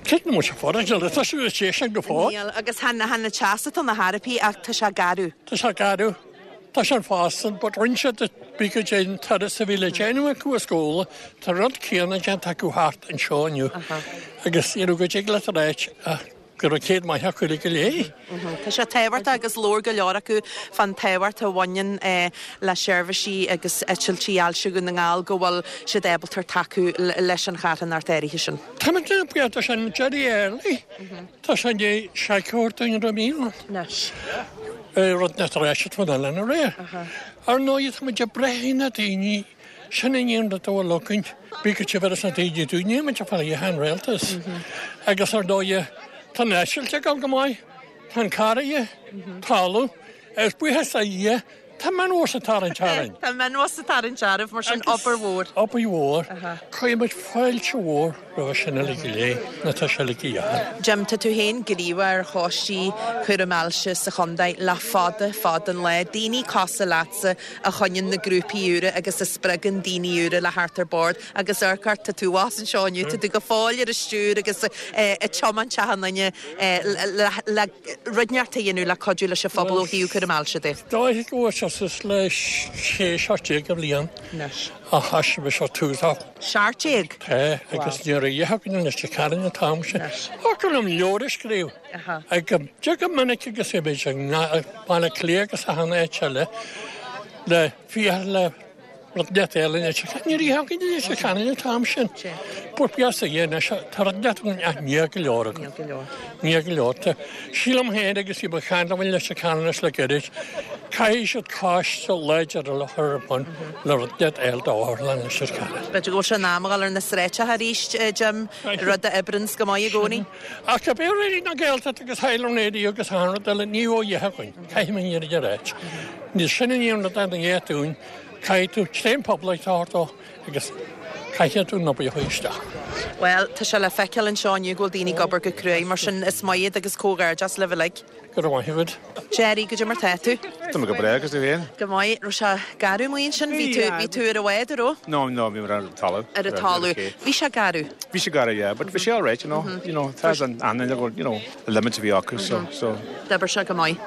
cé na muid fara tá sé sé sin go fóill. Níl, agus chan chan an teas atá na harpaí ach tá sé garbh. Tá sé garbh. Tá sé fásan, but rinne siad bí go dé an turas a bhí le déanamh acu as Gabhla, tá rud céanna déanta acu thart anseo inniu. Agus you know, go dtig leat a ráit go raibh céad maith acu go léir. Tá sé tábhachtach agus labhair go leor acu fán tábhacht a bhaineann le seirbhísí agus eitiltí ailse Dhún na nGall go bhfuil siad ábalta tacú leis an charthanacht áirithe sin. Tá mé buíoch de sin Jerry Early. Tá sé dé seiceoir duine míle. Anois. Rud nach raibh siad fan eile aréir. Ar ndóigh tá muid ag brath ar na daoine sin an aon rud a bhfuil againn. Bí go bhfuil na daoine dúinne muid ag fáil an rialtas. Agus ar ndóigh tá an eitilt ag dul go maith, tá an carraige, talamh, agus buíochas le Dia, tá minbhus ag tarraingt orainn. Tá minbhus ag tarraingt oraibh, mar sin obair mhór. Obair mhór. Caithfidh muid fáilte mhór roimhe sin uilig go léir, nó tá sé uilig a dheachair. Jim, tá tú féin gníomhach ar choistí chúram ailse sa chontae le fada, fada an lá. Daoine cosúil leatsa a choinníonn na grúpaí úra agus a spreagann daoine úra le theacht ar bord agus amharc ort, tá tú abhus anseo inniu, tá tú go fóill ar an stiúir agus ag tiomáint achan duine le rud inteacht a dhéanamh le cuidiú leis an phobal ó thaobh cúram ailse de. Is dóiche go bhfuil sé suas le sé seacht déag de bhliain a thoisigh mise tús á. Seacht déag? Tá, agus ní raibh a fhios againn anois de Karen an t-am sin. Thiocfadh liom leabhar a scríobh. Ag go go minic agus bhí muid i Baile Átha Cliath agus achan áit eile le fiach le Rud inteacht eile anois, ní raibh againn i Leitir Ceanainn an t-am sin. But bíos a dhéanamh seo, tá rud inteacht againn ach níl go leor againn. Níl go leor. Tá, sílim féin agus bhí mo cheann liom i Leitir Ceanainn anois le gairid, caithfidh siad coiste láidir a chur ar bun le rud inteacht eile d'otharlann Leitir Ceanainn. B'fhéidir go bhfuil sé in am a dhul ar na sráideacha arís, Jim, rud a oibreanns go maith i gcónaí. Ach cibé Raidió na Gaeltachta agus Highland Radio agus achan rud eile, ní raibh a dhath againn, caithfidh mé an fhírinne a ráit. Níl sin an aon rud a dhéanamh dúinn, caithfidh tú tréan poiblí a thabhairt dó agus caithfidh tú an obair a chur isteach. Bhuel, tá sé le feiceáil anseo inniu go bhfuil daoine ag obair go cruaidh, mar sin is maith iad agus comhghairdeas libh uilig. Go raibh maith agat. Jerry, goidé mar tá tú? Tá mé go breá agus tú féin? Go maith. Raibh sé garbh amuigh ansin? Bhí tú, bhí tú ar an bhád, an raibh? No, no, bhí mé ar an talamh. Ar an talamh. Bhí sé garbh? Bhí sé garbh, yeah, but bhí sé alright, you know, you know, tá an an you know, the limits a bhí acu, so, so. D'oibir sé go maith.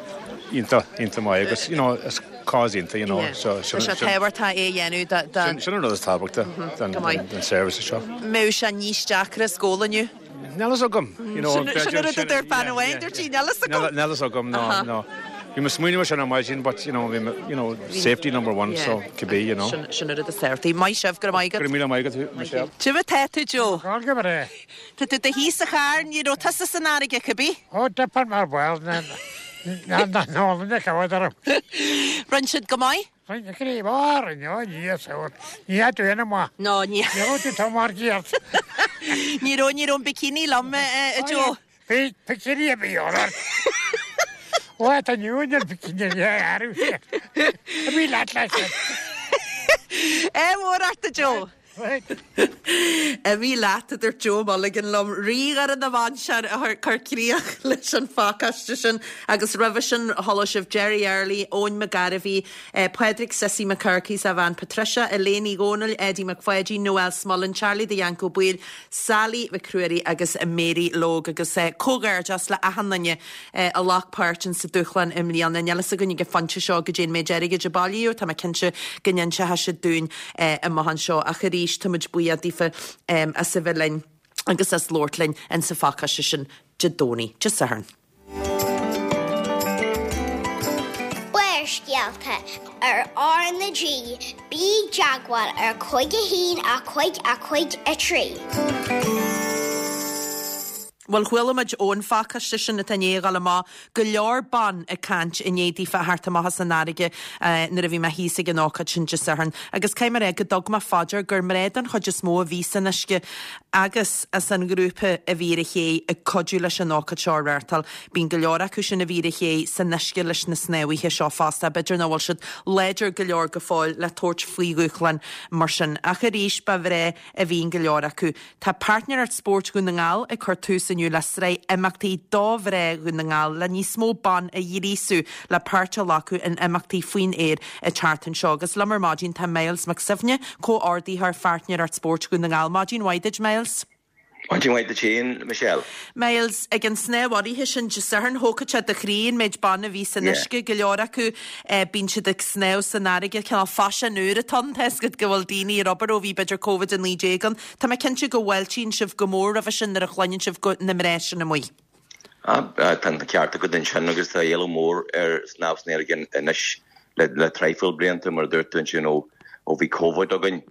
Iontach, iontach maith agus, you know, is cause iontach, you know, so. Tá sé tábhachtach é a dhéanamh do, do. Sin, sin an rud is tábhachtaí den, den, den service seo. Mbeadh sé níos deacra is gabháil inniu? Níl fhios agam, you know. Sin an rud a dúirt bean amháin, dúirt sí, níl fhios agam. Níl fhios agam, no, no. Bhí mé smaoineamh sin ar maidin, but, you know, bhí mé, you know, safety number one, so cibé, you know. Sin, sin an rud is tábhachtaí. Maith sibh, go raibh maith agat. Go raibh míle maith agat, Michelle. Goidé mar tá tú, Joe? Go breá. Tá tú i do shuí sa charr, ní raibh tusa san fharraige, cibé? Ó, dippear mar bhuel, na, na, na, na, na, na, na, Rinne siad go maith? Rinne crí mhór, rinne, ó, ní sórt. Ní hea tú ina maith. No, ní. Ní raibh tú tá mar gceart. Ní raibh, ní raibh an bikini liom, a Joe. Bhí bikini a bhí ort. Ó, tá inniu an bikini a athrú sé. A bhí leat leis. É mhór ort, a Joe. Imigh leat, a dúirt Joe Mulligan liom, Rí Dhoire na Mainsear a chuir críoch leis an phacáiste sin agus roimhe sin chuala sibh Jerry Early, Eoin McGarvey, Pádraig Sissy McCurkey is a bhean Patricia, Elaine Ní Dhomhnaill, Eddie McPháidín, Noel Smullen, Charlie the Yank Ó Baoill, Sally McCruary agus Mary Logue agus comhghairdeas le achan duine a ghlac páirt in sa dúshlán i mbliana. Níl fhios againn ag an phointe seo goidé an méid airgid a bailíodh, tá mé cinnte go n-inseoidh siad dúinn amach anseo ach arís tá muid buíoch daofa as a bheith linn agus as labhairt linn in sa phacáiste sin Dé Domhnaigh, Dé Sathairn. Barrscéalta ar R na G, bí i dteagmháil ar cúig a haon a cúig a cúig a trí. Bhuel, chuala muid ón phacáiste sin atá i ndiaidh a ghabháil amach go leor ban ag caint i ndiaidh daofa a theacht amach as an fharraige nuair a bhí mé thíos ag an ócáid sin Dé Sathairn. Agus caithfidh mé a rá go dtug mé fá dear gur mná den chuid is mó a bhí san uisce agus as an ngrúpa a bhí ar an ché ag cuidiú leis an ócáid seo a reáchtáil. Bíonn go leor acu sin a bhí ar an ché san uisce leis na snámhaithe seo fosta. B'fhéidir nach bhfuil siad láidir go leor go fóill le tabhairt faoi dhúshlán mar sin. Ach arís ba mhná a bhí in go leor acu. Tá Páirtnéireacht Spóirt Dhún na nGall ag cur tús inniu le sraith imeachtaí do mhná Dhún na nGall le níos mó ban a ghríosú le páirt a ghlacadh in imeachtaí faoin aer an tseachtain seo. Agus liom ar maidin tá Myles Mac Suibhne, comhordaitheoir Pháirtnéireacht Spóirt Dhún na nGall. Maidin mhaith duit, Myles. Maidin mhaith duit féin, Michelle. Myles, ag an snámh áirithe sin Dé Sathairn, thógfadh sé do chroí an méid ban a bhí san uisce, go leor acu bíonn siad ag snámh san fharraige, cineál faisean úr atá ann, tá a fhios agat go bhfuil daoine ar obair ó bhí b'fhéidir Covid a naoi déag ann. Tá mé cinnte go bhfáiltíonn sibh go mór roimhe sin nuair a chluineann sibh go na mná sin amuigh. Tá an ceart agat ansin agus tá éileamh mór ar snámh san fharraige anois le traidhfil blianta mar a dúirt tú ansin ó ó bhí Covid againn.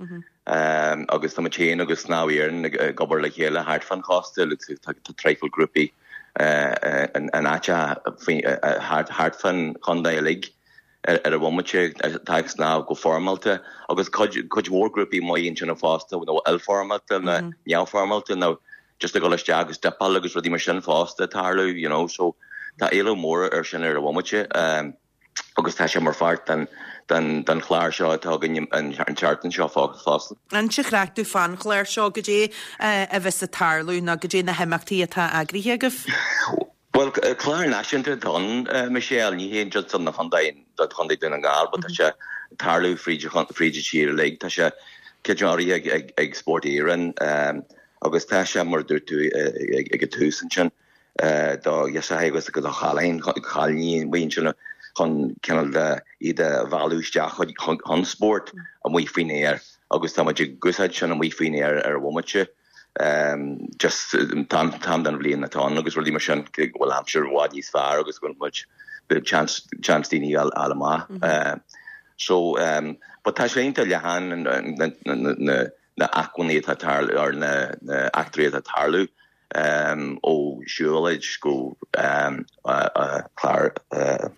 Agus tá muid féin agus Snámh Éireann ag obair le chéile thart fán chósta, tá traidhfil grúpaí in áiteacha thart fán chontae uilig ar an bhomaite atá ag snámh go foirmeálta agus cuid mhór grúpaí amuigh ansin fosta nó ilfhoirmeálta nó neamhfhoirmeálta nó just ag dul isteach agus dipáil agus rudaí mar sin fosta ag tarlú, you know, so tá éileamh mór ar sin ar an bhomaite. Agus tá sé mar pháirt den den den chlár seo atá againn an tseachtain seo fosta. Inis an chraic domh fán chlár seo, goidé a bheas ag tarlú nó goidé na himeachtaí atá eagraithe agaibh? Bhuel, clár náisiúnta atá ann, Michelle, ní hé just don chontae, do chontae Dún na nGall, but tá sé ag tarlú fríd fríd an tír uilig. Tá sé cuid áirithe ag ag Spórt Éireann agus tá sé mar a dúirt tú ag an tús ansin do ghirseacha agus do chailíní amuigh ansin chun cineál de iad a mhealladh isteach chun spórt amuigh faoin aer agus tá muid ag úsáid sin amuigh faoin aer ar an bhomaite just an t-am den bhliain atá ann agus rudaí mar sin go bhfuil aimsir i bhfad níos fearr agus go bhfuil muid chance chance daoine a fháil amach. So um, but tá sé iontach leathan na na na acmhainní atá tarlú ar na na eachtraí atá tarlú um, ó siúlóid go um, uh, uh, clár uh,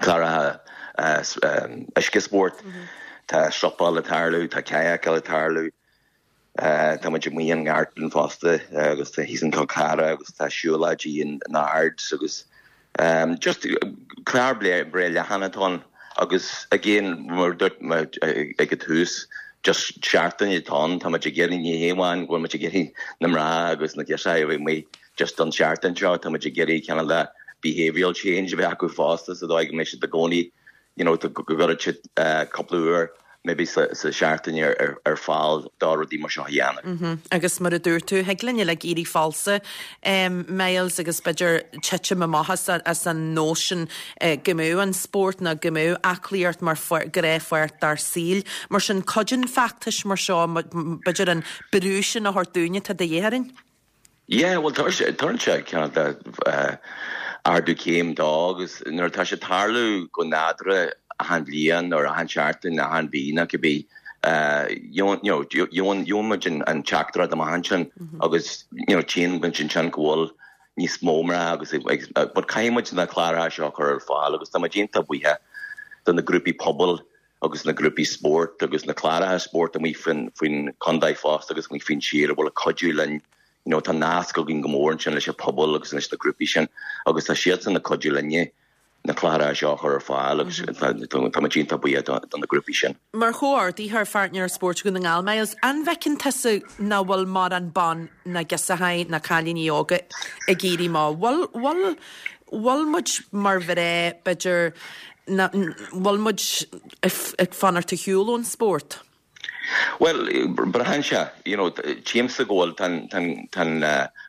cláracha uh, um, uisce spórt mm -hmm. Tá siopáil ag tarlú, tá kayak ag tarlú, uh, tá muid amuigh i nGartan fosta uh, agus tá thíos in Col Carra agus tá siúlóidí in Ards agus um, just clár breá leathan atá ann agus again mar dúirt ag an tús just seachtain atá ann tá muid ag iarraidh ní hamháin go bhfuil muid ag iarraidh na mná agus na girseachaí a bheith amuigh just don seachtain seo tá muid ag iarraidh cineál de behavioral change a bheith acu fosta sa dóigh go mbeidh siad i gcónaí you know, go gcuirfidh siad uh, cúpla uair maybe sa, sa seachtain ar, ar, ar fáil do rudaí mar seo a dhéanamh. Mm -hmm. Agus mar a dúirt tú thig linn le éirí falsa um, Myles agus b'fhéidir titim amach as, as an nóisean uh, go mbeadh an spórt nó go mbeadh aclaíocht mar ghnáthpháirt dár saol. Mar sin cuidíonn feachtais mar seo b'fhéidir an brú sin a thabhairt dúinne tá de dhíth orainn? Yeah, well tá sé cineál de uh, ardú céim dó agus nuair tá sé tarlú go nádúrtha achan bhliain nó achan seachtain achan mhí nó cibé gheobhaidh an teachtaireacht amach ansin agus tchíonn muid ansin go bhfuil níos mó mná agus but caithfidh muid na cláracha seo a chur ar fáil agus tá muid iontach buíoch do na grúpaí pobail agus na grúpaí spórt agus na cláracha spórt amuigh faoin faoin contae fosta agus amuigh faoin tír a bhfuil ag cuidiú linn you know, tá nasc againn go mór ansin leis an pobal agus leis na grúpaí sin agus tá siadsan ag cuidiú linne na cláracha seo a chur ar fáil agus tá muid iontach buíoch do na grúpaí sin. Mar chomhordaitheoir Pháirtnéireacht Spóirt Dhún na nGall Myles, an bhfeiceann tusa nach bhfuil mórán ban ná girseachaí ná cailíní óga ag éirí amach? Bhfuil bhfuil bhfuil muid mar mhná b'fhéidir bhfuil muid ag fanacht ar shiúl ón spórt? Well, braitheann sé, you know, tchímse go bhfuil tá an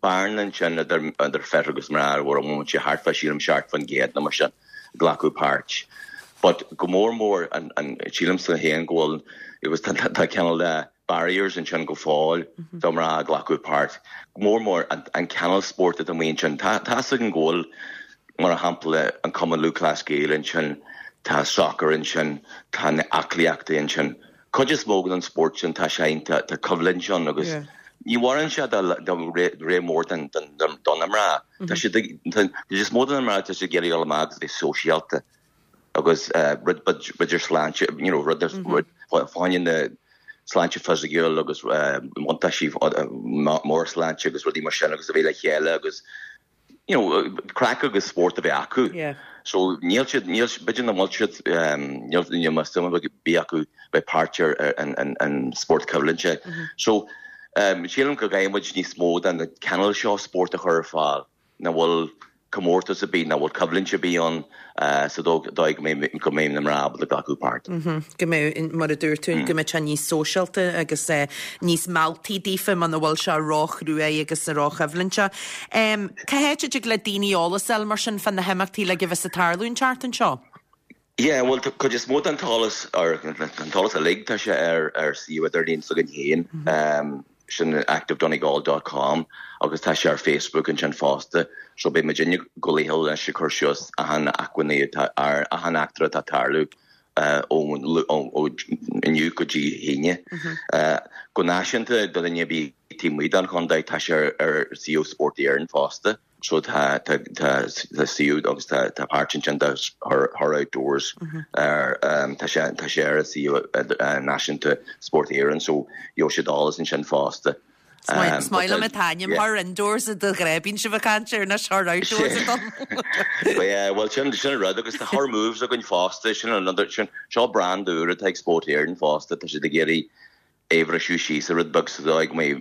bearna ansin idir idir fir agus mná ar bhfuil sé thart fá sílim seacht faoin gcéad nó mar sin glacadh páirt. But go mór mór an an sílimse féin go bhfuil agus tá tá cineál de barriers ansin go fóill do mná glacadh páirt. Go mór mór an an cineál spórt atá amuigh ansin. Tá tá an go bhfuil mar shampla an Cumann Lúthchleas Gael ansin, tá soccer ansin, tá na aclaíochtaí ansin. Cuid is mó den spórt sin tá sé tá tá coimhlint ann agus yeah. ní mhaireann sé do ré mór den don na mná. Tá sé is mó den mná tá sé ag iarraidh amach agus bheith sóisialta agus rud b'fhéidir sláinte you know, rud rud fáinne na sláinte fisiciúil agus buntáistí mór sláinte agus rudaí mar sin agus a bheith le chéile agus you know, craic agus spórt a bheith acu. Yeah. So níl siad níl b'fhéidir nach bhfuil siad níl níl mas bí acu bheith páirt ar an an an spórt coimhlinte. So um, sílim go gcaithfidh muid níos mó den na cineál seo spórt a chur ar fáil na bhfuil comórtas ar bith na bhfuil coimhlint ar bith ann uh, sa dóigh go mbeidh go mbeidh na mná ábalta glacadh páirt. Go mbeidh mar a dúirt tú go mbeidh sé níos sóisialta agus uh, níos mealltaí daofa muna bhfuil sé róchruaidh agus róchoimhlinte. Um, Cá háit a dtig le daoine eolas a fháil mar sin fá na himeachtaí le go bhfios a tarlú an tseachtain seo? Yeah, well cuid is mó den t-eolas ar an t-eolas uilig tá sé ar ar suíomh idirlín s'againn féin. Um, sin activedonegal.com agus tá sé ar Facebook ansin fosta, so beidh muid go léil leis cur suas achan acmhainní ar achan eachtra atá tarlú uh, ó ó inniu go dtí hAoine. Uh, go náisiúnta do dhuine ar bith taobh amuigh den chontae tá sé ar ar suíomh Spórt Éireann fosta. So tá tá tá tá suíomh agus tá tá páirt ansin de her her outdoors ar um, tá sé tá sé ar suíomh náisiúnta Spórt Éireann, so gheobhaidh siad eolas ansin fosta. Is maith liom an t-ainm her indoors a do ghreibín sibh a chaint ar na her outdoors a dom. Yeah, well sin sin rud agus tá her moves againn fosta sin another sin seo brand úr atá ag Spórt Éireann fosta tá siad ag iarraidh é a bhriseadh síos a rud beag sa dóigh go mbeidh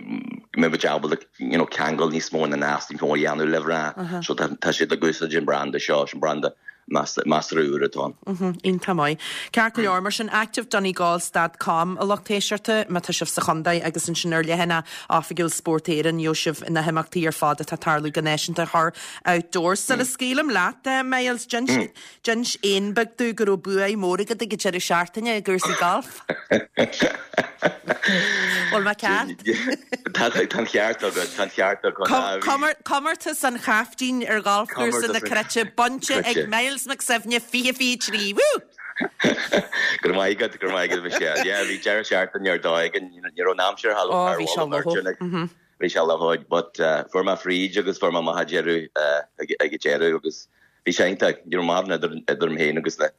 go mbeidh ábalta you know ceangal níos mó na nasc níos mó a dhéanamh le mná. So tá tá siad ag úsáid an branda seo sin branda measartha úr atá ann. Iontach maith. Ceart go leor mar sin activedonegal.com a lucht éisteachta má tá sibh sa chontae agus ansin ar leathanach oifigiúil Spórt Éireann gheobhaidh sibh na himeachtaí ar fad atá tarlú go náisiúnta her outdoors. Sula scaoilim leat Myles D'inis éan beag domh go raibh bua mór agat ag an deireadh seachtaine i gcúrsaí golf. Bhfuil mé ceart? Tá an ceart agat, tá an ceart agat. Comórtas an Chaiftín ar gholfchúrsa na Cruite bainte ag Myles Mac Suibhne fiche fiche trí. Woo! Go raibh maith agat, go raibh maith agat Michelle. Yeah, bhí deireadh seachtaine ar dóigh and ní raibh an aimsir thall Ó, bhí sé lofa. Bhí sé lofa, but uh, fuair mé fríd agus fuair mé amach ag deireadh uh, ag ag deireadh agus bhí sé iontach, ní raibh mórán idir idir mé féin agus na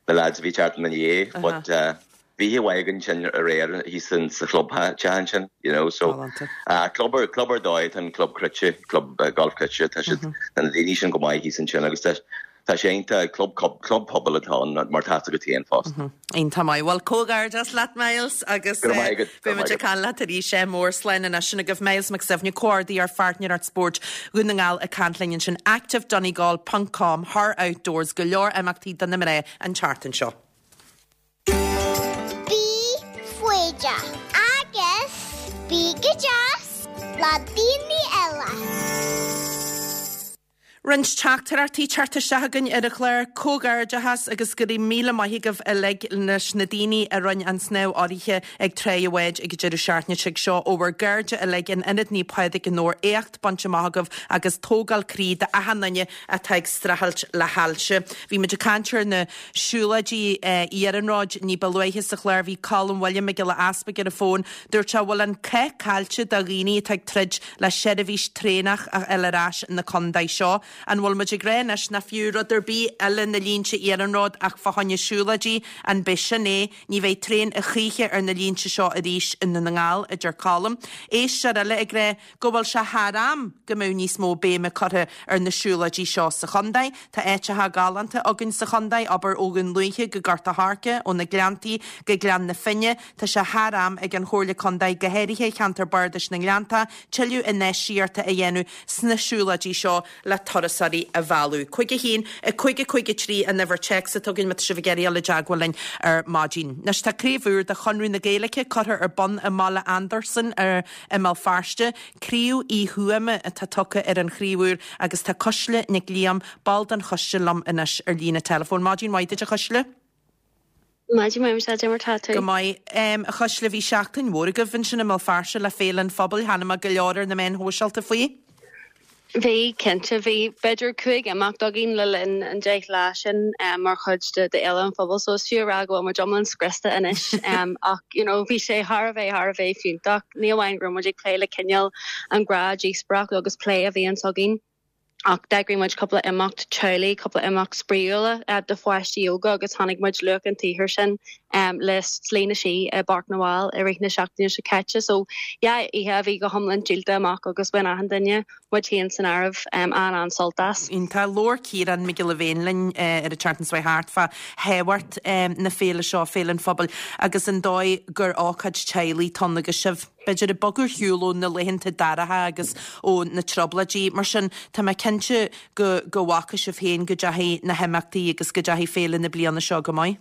na lads a bhí teacht i mo dhiaidh, but uh, bhí oíche mhaith againn sin aréir thíos in sa chlub teach ansin, you know, so uh, club ar club ar dóigh an club cruite, club uh, golf cruite, tá siad na daoine sin go maith thíos ansin agus tá tá sé iontach club club club pobail atá ann mar tá go téan fosta. Iontach maith. Bhuel comhghairdeas leat Miles agus Go raibh maith agat, go raibh beidh muid maith ag caint leat arís sé mór slán anois sin agaibh Miles Mac Suibhne comhordaitheoir Pháirtnéireacht Spóirt Dhún na nGall ag caint linn ansin activedonegal.com Her Outdoors go leor imeachtaí do na mná an tseachtain seo. Bí foighdeach agus bí go deas le daoine eile. Roinnt teachtaireachtaí teacht isteach againn ar an chlár comhghairdeachas agus go raibh míle maith agaibh uilig leis na daoine a rinne an snámh urraithe ag Trá an Bháid ag deireadh seachtaine seo seo ó bhur gcairde uilig in Ionad Naomh Pádraig i nDobhar éacht bainte amach agaibh agus tógáil croí d'achan duine atá ag streachailt le hailse. Bhí muid ag caint ar na siúlóidí iarnróid ní ba luaithe sa chlár bhí Colm William Mac Giolla Easpaig ar an bhfón, dúirt sé bhfuil an cath caillte do dhaoine atá ag troid le seirbhís traenach a fháil ar ais na contae seo. An bhfuil muid ag rá anois nach fiú rud ar bith eile na línte iarnróid ach fá choinne siúlóidí an b'é sin é, ní bheidh traein a choíche ar na línte seo arís i nDún na nGall a deir Colm. Éisteoir eile ag rá go bhfuil sé thar am go mbeadh níos mó béime curtha ar na siúlóidí seo sa chontae. Tá áiteacha galánta againn sa chontae abair ó Dhún Lúiche go Gort an Choirce ó na Gleanntaí go Gleann na Finne, Tá sé thar am ag an Chomhairle Contae go háirithe cheantar Bardais na nGleannta, tuilleadh infheistíochta a dhéanamh sna siúlóidí seo le turasóirí a mhealladh. Cúig a haon a cúig a cúig a trí an uimhir téacs atá againn má tá sibh ag iarraidh dul i dteagmháil linn ar maidin. Anois tá craobh úr de Chonradh na Gaeilge curtha ar bun i mBaile Andarsan ar i mBéal Feirste, Craobh Uí Thuama atá tugtha ar an chraobh úr agus tá Cuisle Nic Liam ball den choiste liom anois ar líne telefón. Maidin mhaith duit a Chuisle? Maidin mhaith sé mar tá tú. Go maith um, a Chuisle bhí seachtain mhór agaibh ansin i mBéal Feirste le Féile an Phobail chonaic mé go leor ar na meáin shóisialta faoi. Bhí cinnte bhí b'fhéidir cúig imeacht againn le linn an deich lá sin um, mar chuid de de Fhéile an Phobail so is fiú a rá go bhfuil muid iomlán scriosta anois um, ach you know, bhí sé thar a bheith thar a bheith fiúntach ní amháin go raibh muid ag plé le cineál an ghnáth-dhíospóireacht agus plé a bhíonn againn. Ach d'eagraigh muid cúpla imeacht teaghlaigh, cúpla imeacht spraíúla uh, do pháistí óga agus tháinig muid luach an tsaothair sin um, le Slí na Sí i bPáirc na bhFál i rith na seachtaine seo caite. So yeah, oíche a bhí go hiomlán díolta amach agus bhain achan duine muid féin san áireamh um, an an-sult as. Tá labhair Ciarán Mac Giolla Bhéin linn uh, ar an tseachtain seo thart fá thábhacht um, na féile seo Féile an Phobail agus an dóigh gur ócáid teaghlaigh atá ann agus sibh. B'fhéidir ag bogadh ar shiúl ó na laethanta dorcha agus ó na trioblóidí mar sin tá mé cinnte go go bhfaca sibh féin go dteachaigh na himeachtaí agus go dteachaigh féile na bliana seo go maith.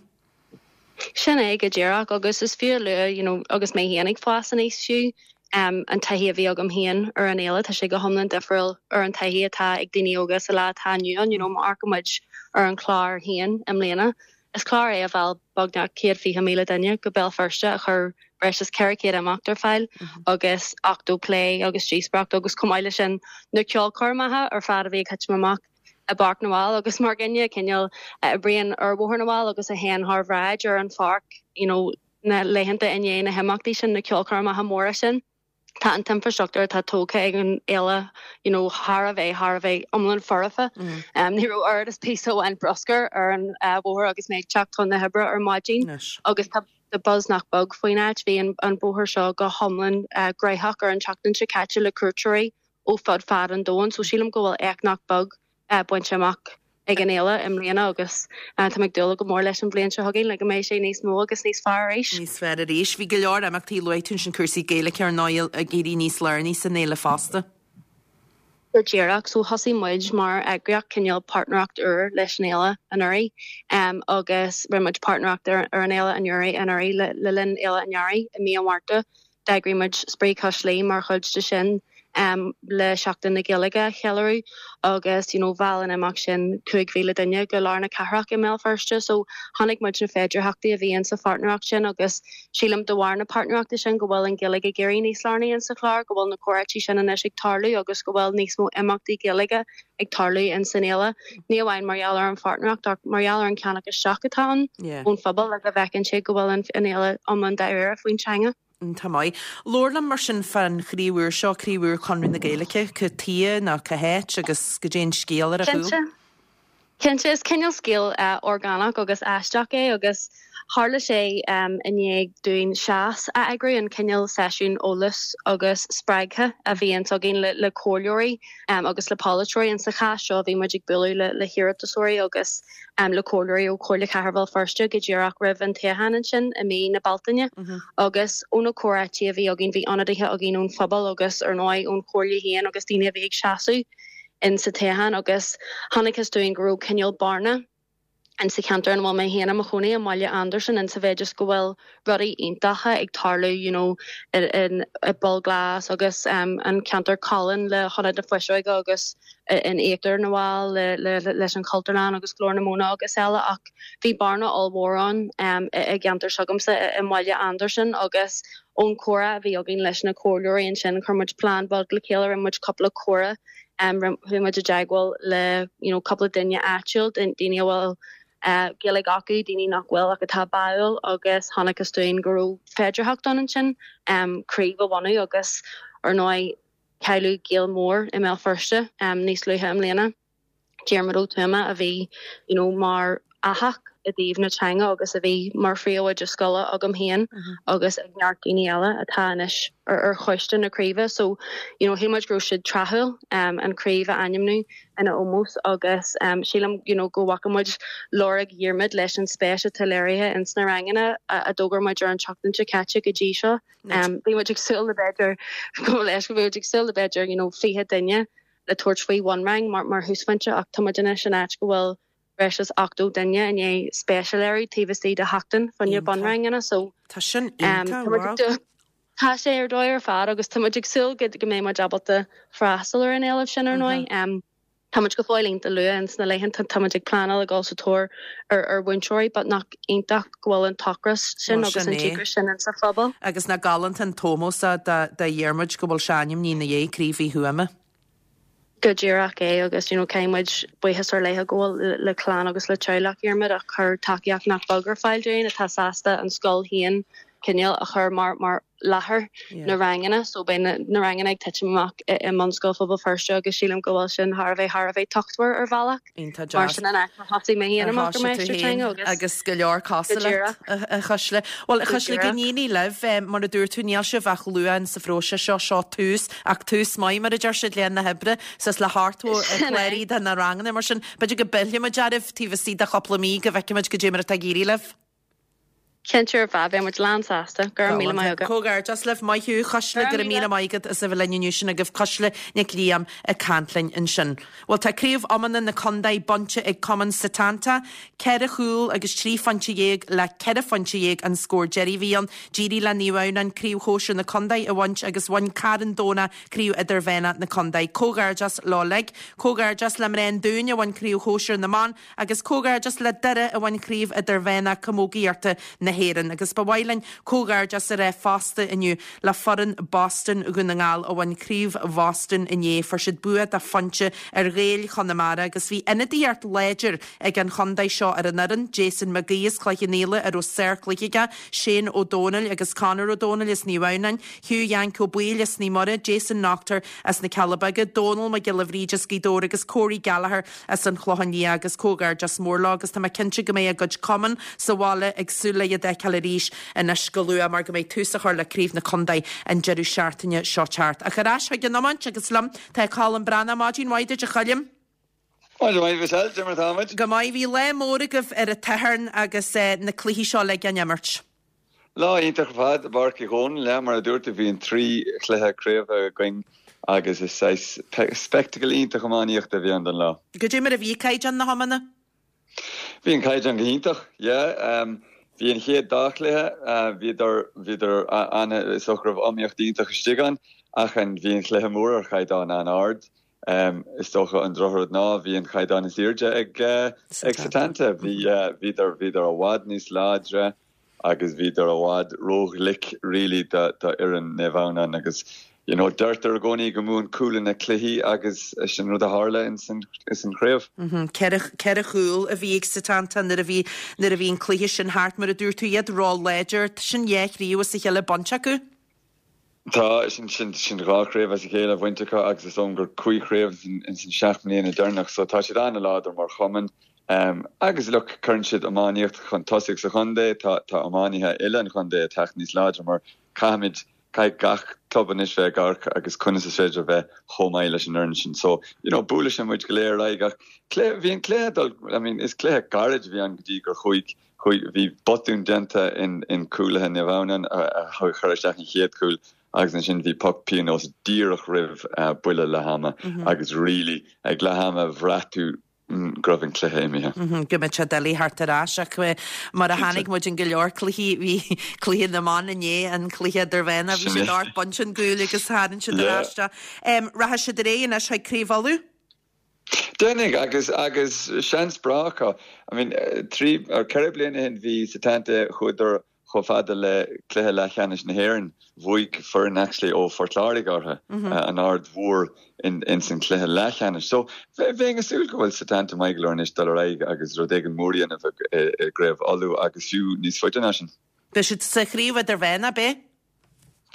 Sin é go díreach agus is fiú le you know, agus mé féin ag fás aníos fiú um, an taithí a bhí agam féin ar an fhéile tá sé go hiomlán difriúil ar an taithí atá ag daoine óga sa lá atá inniu ann you know, mar muid ar an chlár féin i mbliana. Is clár é a mheall beagnach céad fiche míle duine go Béal Feirste a chur breis is ceithre chéad imeacht ar fáil agus ochtó plé agus díospóireacht agus chomh maith leis sin na ceolchoirmeacha ar fad a bhí ag titim amach i bPáirc na bhFál agus mar dhuine cineál oibríonn ar Bhóthar na bhFál agus a théann thar bhráid ar an pháirc you know, na laethanta i ndiaidh na himeachtaí sin na ceolchoirmeacha móra sin. Tá an t-infrastruchtúr atá tógtha ag an fhéile you know, thar a bheith thar a bheith iomlán foirfe. Mm. Um, ní raibh oiread is píosa amháin bruscair ar an uh, bhóthar agus mé ag teacht chun na hoibre ar maidin agus tá the buzz nach beag faoin áit bhí an, an bóthar seo go hiomlán uh, gnóthach ar an tseachtain seo caite le cuairteoirí ó fud fad an domhain, so sílim go bhfuil éacht nach beag uh, bainte amach ag an fhéile i mbliana agus uh, tá ag dúil go mór leis an bhliain seo chugainn le go mbeidh sé níos mó agus níos fearr arís. Níos fearr arís, bhí go leor imeachtaí luaigh tú sin cúrsaí Gaeilge ar ndóigh ag éirí níos lárnaí san fhéile fosta. Go díreach so thosaigh muid mar eagraíocht cineál páirtnéireacht úr leis an fhéile anuraidh um, agus rinne muid páirtnéireacht ar, ar an fhéile anuraidh anuraidh le, le linn Fhéile an Earraigh i mí an Mhárta. D'eagraigh muid Spraoi Cois Laoi mar chuid de sin um, le Seachtain na Gaeilge a cheiliúradh agus you know, mheall an imeacht sin cúig mhíle duine go lár na cathrach i mBéal Feirste, so chonaic muid na féidearthachtaí a bhí sa pháirtnéireacht sin agus sílim de bharr na páirtnéireachta sin go bhfuil an Ghaeilge ag éirí níos lárnaí in sa chlár, go bhfuil na comhráití sin anois ag tarlú agus go bhfuil níos mó imeachtaí Gaeilge ag tarlú in san fhéile. Ní amháin mar gheall ar an pháirtnéireacht ach mar gheall ar an ceannach isteach atá ann ón phobal le go bhfeiceann sé go bhfuil an fhéile iomlán dáiríre faoin teanga. Tá maith. Labhair liom mar sin fán chraobh úr seo craobh úr Chonradh na Gaeilge, cad chuige nó cá háit agus goidé an scéal ar a chúl. Cinnte. Cinnte is cineál scéal uh, orgánach agus aisteach é agus tharla sé um, i ndiaidh dúinn seas a eagrú an cineál seisiún eolais agus spreagtha a bhíonn againn le, le comhairleoirí um, agus le polaiteoirí in sa chás seo bhí muid ag bualadh le, le hiarratasóirí agus um, le comhairleoirí ó Chomhairle Cathrach Bhéal Feirste go díreach roimh an toghchán ansin i mí na Bealtaine mm -hmm. agus ó na comhráití a bhí againn bhí ionadaithe againn ón phobal agus ar ndóigh ón chomhairle féin agus daoine a bhí ag seasamh in sa toghchán agus chonacthas dúinn go raibh cineál bearna in sa cheantar an bhfuil mé féin i mo chónaí i mBaile Andarsan in sa mhéid is go bhfuil rudaí iontacha ag tarlú you know, in, in, i Poll Glas agus um, an ceantar Colin le hIonad na Fuiseoige agus in Íochtar na bhFál le, le, le, leis an Chultúrlann agus Glór na Móna agus eile ach bhí bearna ollmhór ann um, i, i gceantar s'agamsa i, i mBaile Andarsan agus ón chomhrá a bhí againn leis na comhairleoirí ansin chuir muid plean beag le chéile rinne muid cúpla comhrá um, bhí muid i dteagmháil le you know, cúpla duine áitiúil daoine a bhfuil uh, Gaeilge acu daoine nach bhfuil ach atá báúil agus chonacthas dúinn go raibh féidearthacht ann ansin um, craobh a bhunú agus ar ndóigh cailleadh Gael mór i mBéal Feirste um, níos luaithe i mbliana. Diarmuid Ó Tuama a bhí you know, mar fhathach i dtaobh na teanga agus a bhí mar phríomhoide scoile agam féin mm -hmm. agus ag neart daoine eile atá anois ar, ar choiste na craoibhe so you know, shíl muid go raibh sé tráthúil um, an chraobh a ainmniú ina ómós agus um, sílim you know, go bhfaca muid lorg Dhiarmuid leis an spéis atá léirithe in sna ranganna a, a d'fhógair muid ar an tseachtain seo caite go dtí seo. Um, bhí muid ag súil le b'fhéidir go leis go bhí ag súil le b'fhéidir you know, fiche duine le tabhairt faoi bhunrang mar mar thúsphointe ach tá muid anois in áit go bhfuil breis is ochtó duine i ndiaidh spéis a léiriú taobh istigh de sheachtain faoi na bunranganna so Tá sin um, Tá sé ar dóigh ar fad agus tá muid ag súil go go mbeidh muid ábalta freastal ar an éileamh sin ar ndóigh. Um, Tá muid go fóill an-luath ins na laethanta tá muid ag pleanáil ag dul sa tóir ar ar mhúinteoirí, but nach iontach go bhfuil an t-ocras sin Well, agus sin an é. díocras sin in sa phobal. Agus nach galánta an t-ómós do do Dhiarmuid go bhfuil sé ainmnithe ina dhiaidh Craobh Uí Thuama. Go díreach é agus you know, caithfidh muid buíochas ar leith a ghabháil le, le clann agus le teaghlach Dhiarmuid a chuir tacaíocht nach beag ar fáil dúinn atá sásta an scoil féin cineál a chur mar mar láthair Yeah. na ranganna so beidh na, na ranganna ag titim amach i, i mBunscoil Phobal Feirste agus sílim go bhfuil sin thar a bheith thar a bheith tábhachtach ar bhealach. Iontach Mar deas. sin an áit a thosaigh mé féin amach ar máistir teanga agus agus go leor Go díreach. a Chuisle. Well a Go Chuisle go díreach. n-éirí libh mar a dúirt tú níl sibh ach luath sa phróiseas seo seo tús ach tús maith mar a deir siad le na hoibre is le hochtó Sin é. cláraithe do na ranganna mar sin b'fhéidir go bpillfimid oraibh taobh istigh de chúpla mí go bhfeicfimid goidé mar atá ag éirí libh. Cinnte ar fad bheidh muid lánsásta go raibh míle maith agat. Comhghairdeas libh maith thú Cuisle Go go raibh míle míle. maith agat as a bheith linn inniu sin agaibh Cuisle Nic Liam ag caint linn ansin. Well tá craobh iomána na contae bainte ag Cumann Setanta, ceithre chúl agus trí phointe dhéag le ceithre phointe dhéag an scór deiridh a bhí ann, d'éirigh le Naomh Adhamhnáin craobh shóisir na contae a bhaint agus bhain Carn Domhnach craobh idirmheánach na contae. Comhghairdeas leo uilig, Comhghairdeas le mná an Dúin a bhain craobh shóisir na mban, agus comhghairdeas le Doire a bhain craobh idirmheánach camógaíochta na hÉireann, agus ba mhaith linn comhghairdeas a rá fosta inniu le foireann Boston Dhún na nGall a bhain craobh Bhoston inné fuair siad bua de phointe ar Ghaeil Chonamara agus bhí ionadaíocht láidir ag an chontae seo ar an fhoireann, Jason McGee as Cloich Cheann Fhaola a raibh sárchluiche aige, Shane Ó Dónaill agus Conor Ó Dónaill as Naomh Adhamhnáin, Hugh Yank Ó Baoill as Naomh Muire, Jason Noctor as na Cealla Beaga, Dónal Mac Giolla Bhríde as Gaoth Dobhair agus Corey Gallagher as an Chlochán Liath agus comhghairdeas mór leo agus tá mé cinnte go mbeidh a gcuid cumann sa bhaile ag súil le iad a fheiceáil arís anois go luath mar go mbeidh tús á chur le craobh na contae an deireadh seachtaine seo thart. Ach ar ais chuig an iomáint agus liom tá Colm Breathnach maidin mhaith duit a Choilm. Maidin mhaith Go maith bhí lá mór agaibh ar an Satharn agus eh, na cluichí seo le gan imirt. Lá iontach fad Barky hón le mar a dúirt bhí an trí chluiche craoibhe againn agus is spectacle iontach iománaíochta a bhí ann don lá. Goidé mar a bhí caighdeán na hiomána? Bhí an caighdeán go hiontach, yeah, um, Bhí an chéad dá chluiche, bhíodar, bhíodar an, is dócha go raibh iomaíocht iontach istigh ann ach an, bhí an cluiche mór ar chaighdeán an-ard. Is dócha an drochrud ná bhí an caighdeán is airde ag, ag Setanta. Bhí, bhíodar, bhíodar i bhfad níos láidre agus bhíodar i bhfad róghlic really do, do fhoireann Naomh Adhamhnáin agus you know, deirtear i gcónaí go mbuann cúlanna cluichí agus sin rud a tharla ins an, ins an chraobh. Ceithre, ceithre chúl a bhí ag Setanta nuair a bhí, nuair a bhí an cluiche sin thart, mar a dúirt tú, iad ró-láidir, sin dhá chraobh as a chéile bainte acu. Tá, sin, sin, sin dhá chraobh as a chéile bainte acu agus is dóigh gur cúig chraobh ins an seacht mbliana deireanach so tá siad an-láidir mar chumann. Um, agus look, cuireann siad iománaíocht chun tosaigh sa chontae, tá, tá iománaithe uile an chontae ag teacht níos láidre mar caithfimid Caithfidh gach club anois bheith ag amharc agus conas is féidir bheith chomh maith leis an fhoireann sin. So, you know, buailfidh sin muid go léir ar aghaidh ach cluiche, bhí an cluiche dul, I mean, is cluiche gairid a bhí ann go dtí gur chuaigh, chuaigh, bhí botún déanta in, in cúlaithe Naomh Adhamhnáin a, a chuir isteach an chéad chúl agus ansin bhí poc pionóis díreach roimh uh, buille leath ama mm -hmm. agus really ag leath ama bhraith tú go raibh an cluiche imithe. Go mbeadh sé doiligh theacht ar ais ach mar a chonaic muid in go leor cluichí bhí cluiche na mban inné an cluiche idirmheánach bhí siad ocht bpointe chun cúil agus tharraing siad ar ais. Rachaidh siad ar aghaidh anois chuig Craobh Uladh? Déanfaidh agus agus seans breá acu. I mean trí or ceithre bliana ó shin bhí Setanta chuadar Chomh fada le cluiche leathcheannais na hÉireann, bhuaigh foireann actually ó Phort Láirge orthu, an Aird Mhór, ins an cluiche leathcheannais. So, bheinn ag súil go bhfuil Setanta maith go leor anois dul ar aghaidh agus rud éigin mór a dhéanamh i gCraobh Uladh agus fiú níos faide ná sin. Beidh siad sa chraobh idirmheánach, ab ea?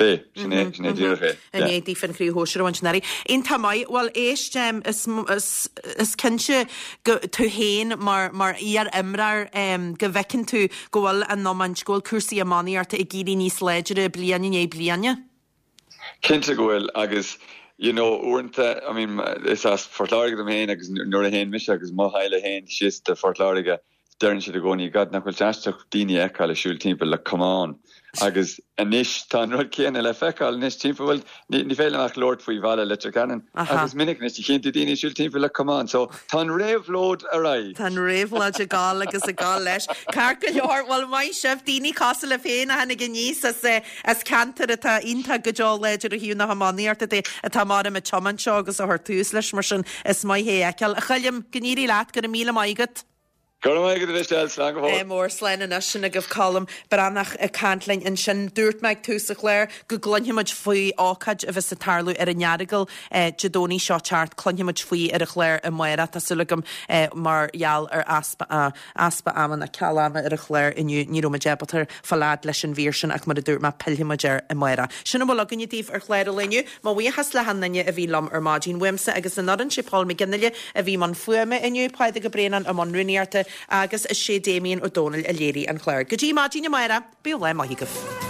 Beidh, sin é, sin é díreach é. I ndiaidh daofa an chraobh shóisir a bhaint anuraidh. Iontach maith. Bhuel, éist, is, is, is cinnte go, tú féin mar, mar iar-imreoir, go bhfeiceann tú go bhfuil an iomáint, go bhfuil cúrsaí iománaíochta ag éirí níos láidre bliain i ndiaidh bliana. Cinnte go bhfuil agus, you know, uaireanta, I mean, is as Phort Láirge dom féin agus nuair a théann mise agus mo theaghlach féin síos do Phort Láirge, Deireann siad i gcónaí, God, nach bhfuil sé aisteach daoine a fheiceáil ag siúl timpeall le camán. Agus anois tá an rud céanna le feiceáil anois timpeall, bhuel, ní, ní féidir liom ach labhairt faoi bhaile Leitir Ceanainn, agus is minic anois a chíonn tú daoine ag siúl timpeall le camán. So, tá an réabhlóid ar aghaidh. Tá an réabhlóid ag gabháil agus ag gabháil leis. Ceart go leor, bhuel, maith sibh, daoine cosúil libh féin a tháinig aníos as, eh, as ceantar atá iontach go deo láidir ó thaobh na hiománaíochta de, atá mar ag tiomáint seo agus a chur tús leis, mar sin is maith é a fheiceáil. A Choilm, go n-éirí leat, go raibh míle maith agat. Go raibh maith agat a Mhichelle, slán go fóill. Mór slán anois sin agaibh Colm Breathnach ag caint linn ansin. Dúirt mé ag tús an chláir go gcluinfidh muid faoi ócáid a bheas ag tarlú ar an Earagail Dé Domhnaigh seo teacht. Cluinfidh muid faoi ar an chlár amárach, tá súil agam, mar gheall ar easpa easpa ama nó ceal ama ar an chlár inniu ní raibh muid ábalta fáil fhad leis an mhír sin ach mar a dúirt mé pillfidh muid air amárach. Sin a bhfuil againne daoibh ar chlár an lae inniu. Mo bhuíochas le hachan duine a bhí liom ar maidin. Uaimse agus an fhoireann, sé Paul McGinley a bhí i mbun fuaime inniu, Pádraig Ó Braonáin i mbun rúnaíochta agus is sé Damien Ó Dónaill a léirigh an clár. Go dtí maidin amárach, bíodh lá maith agaibh.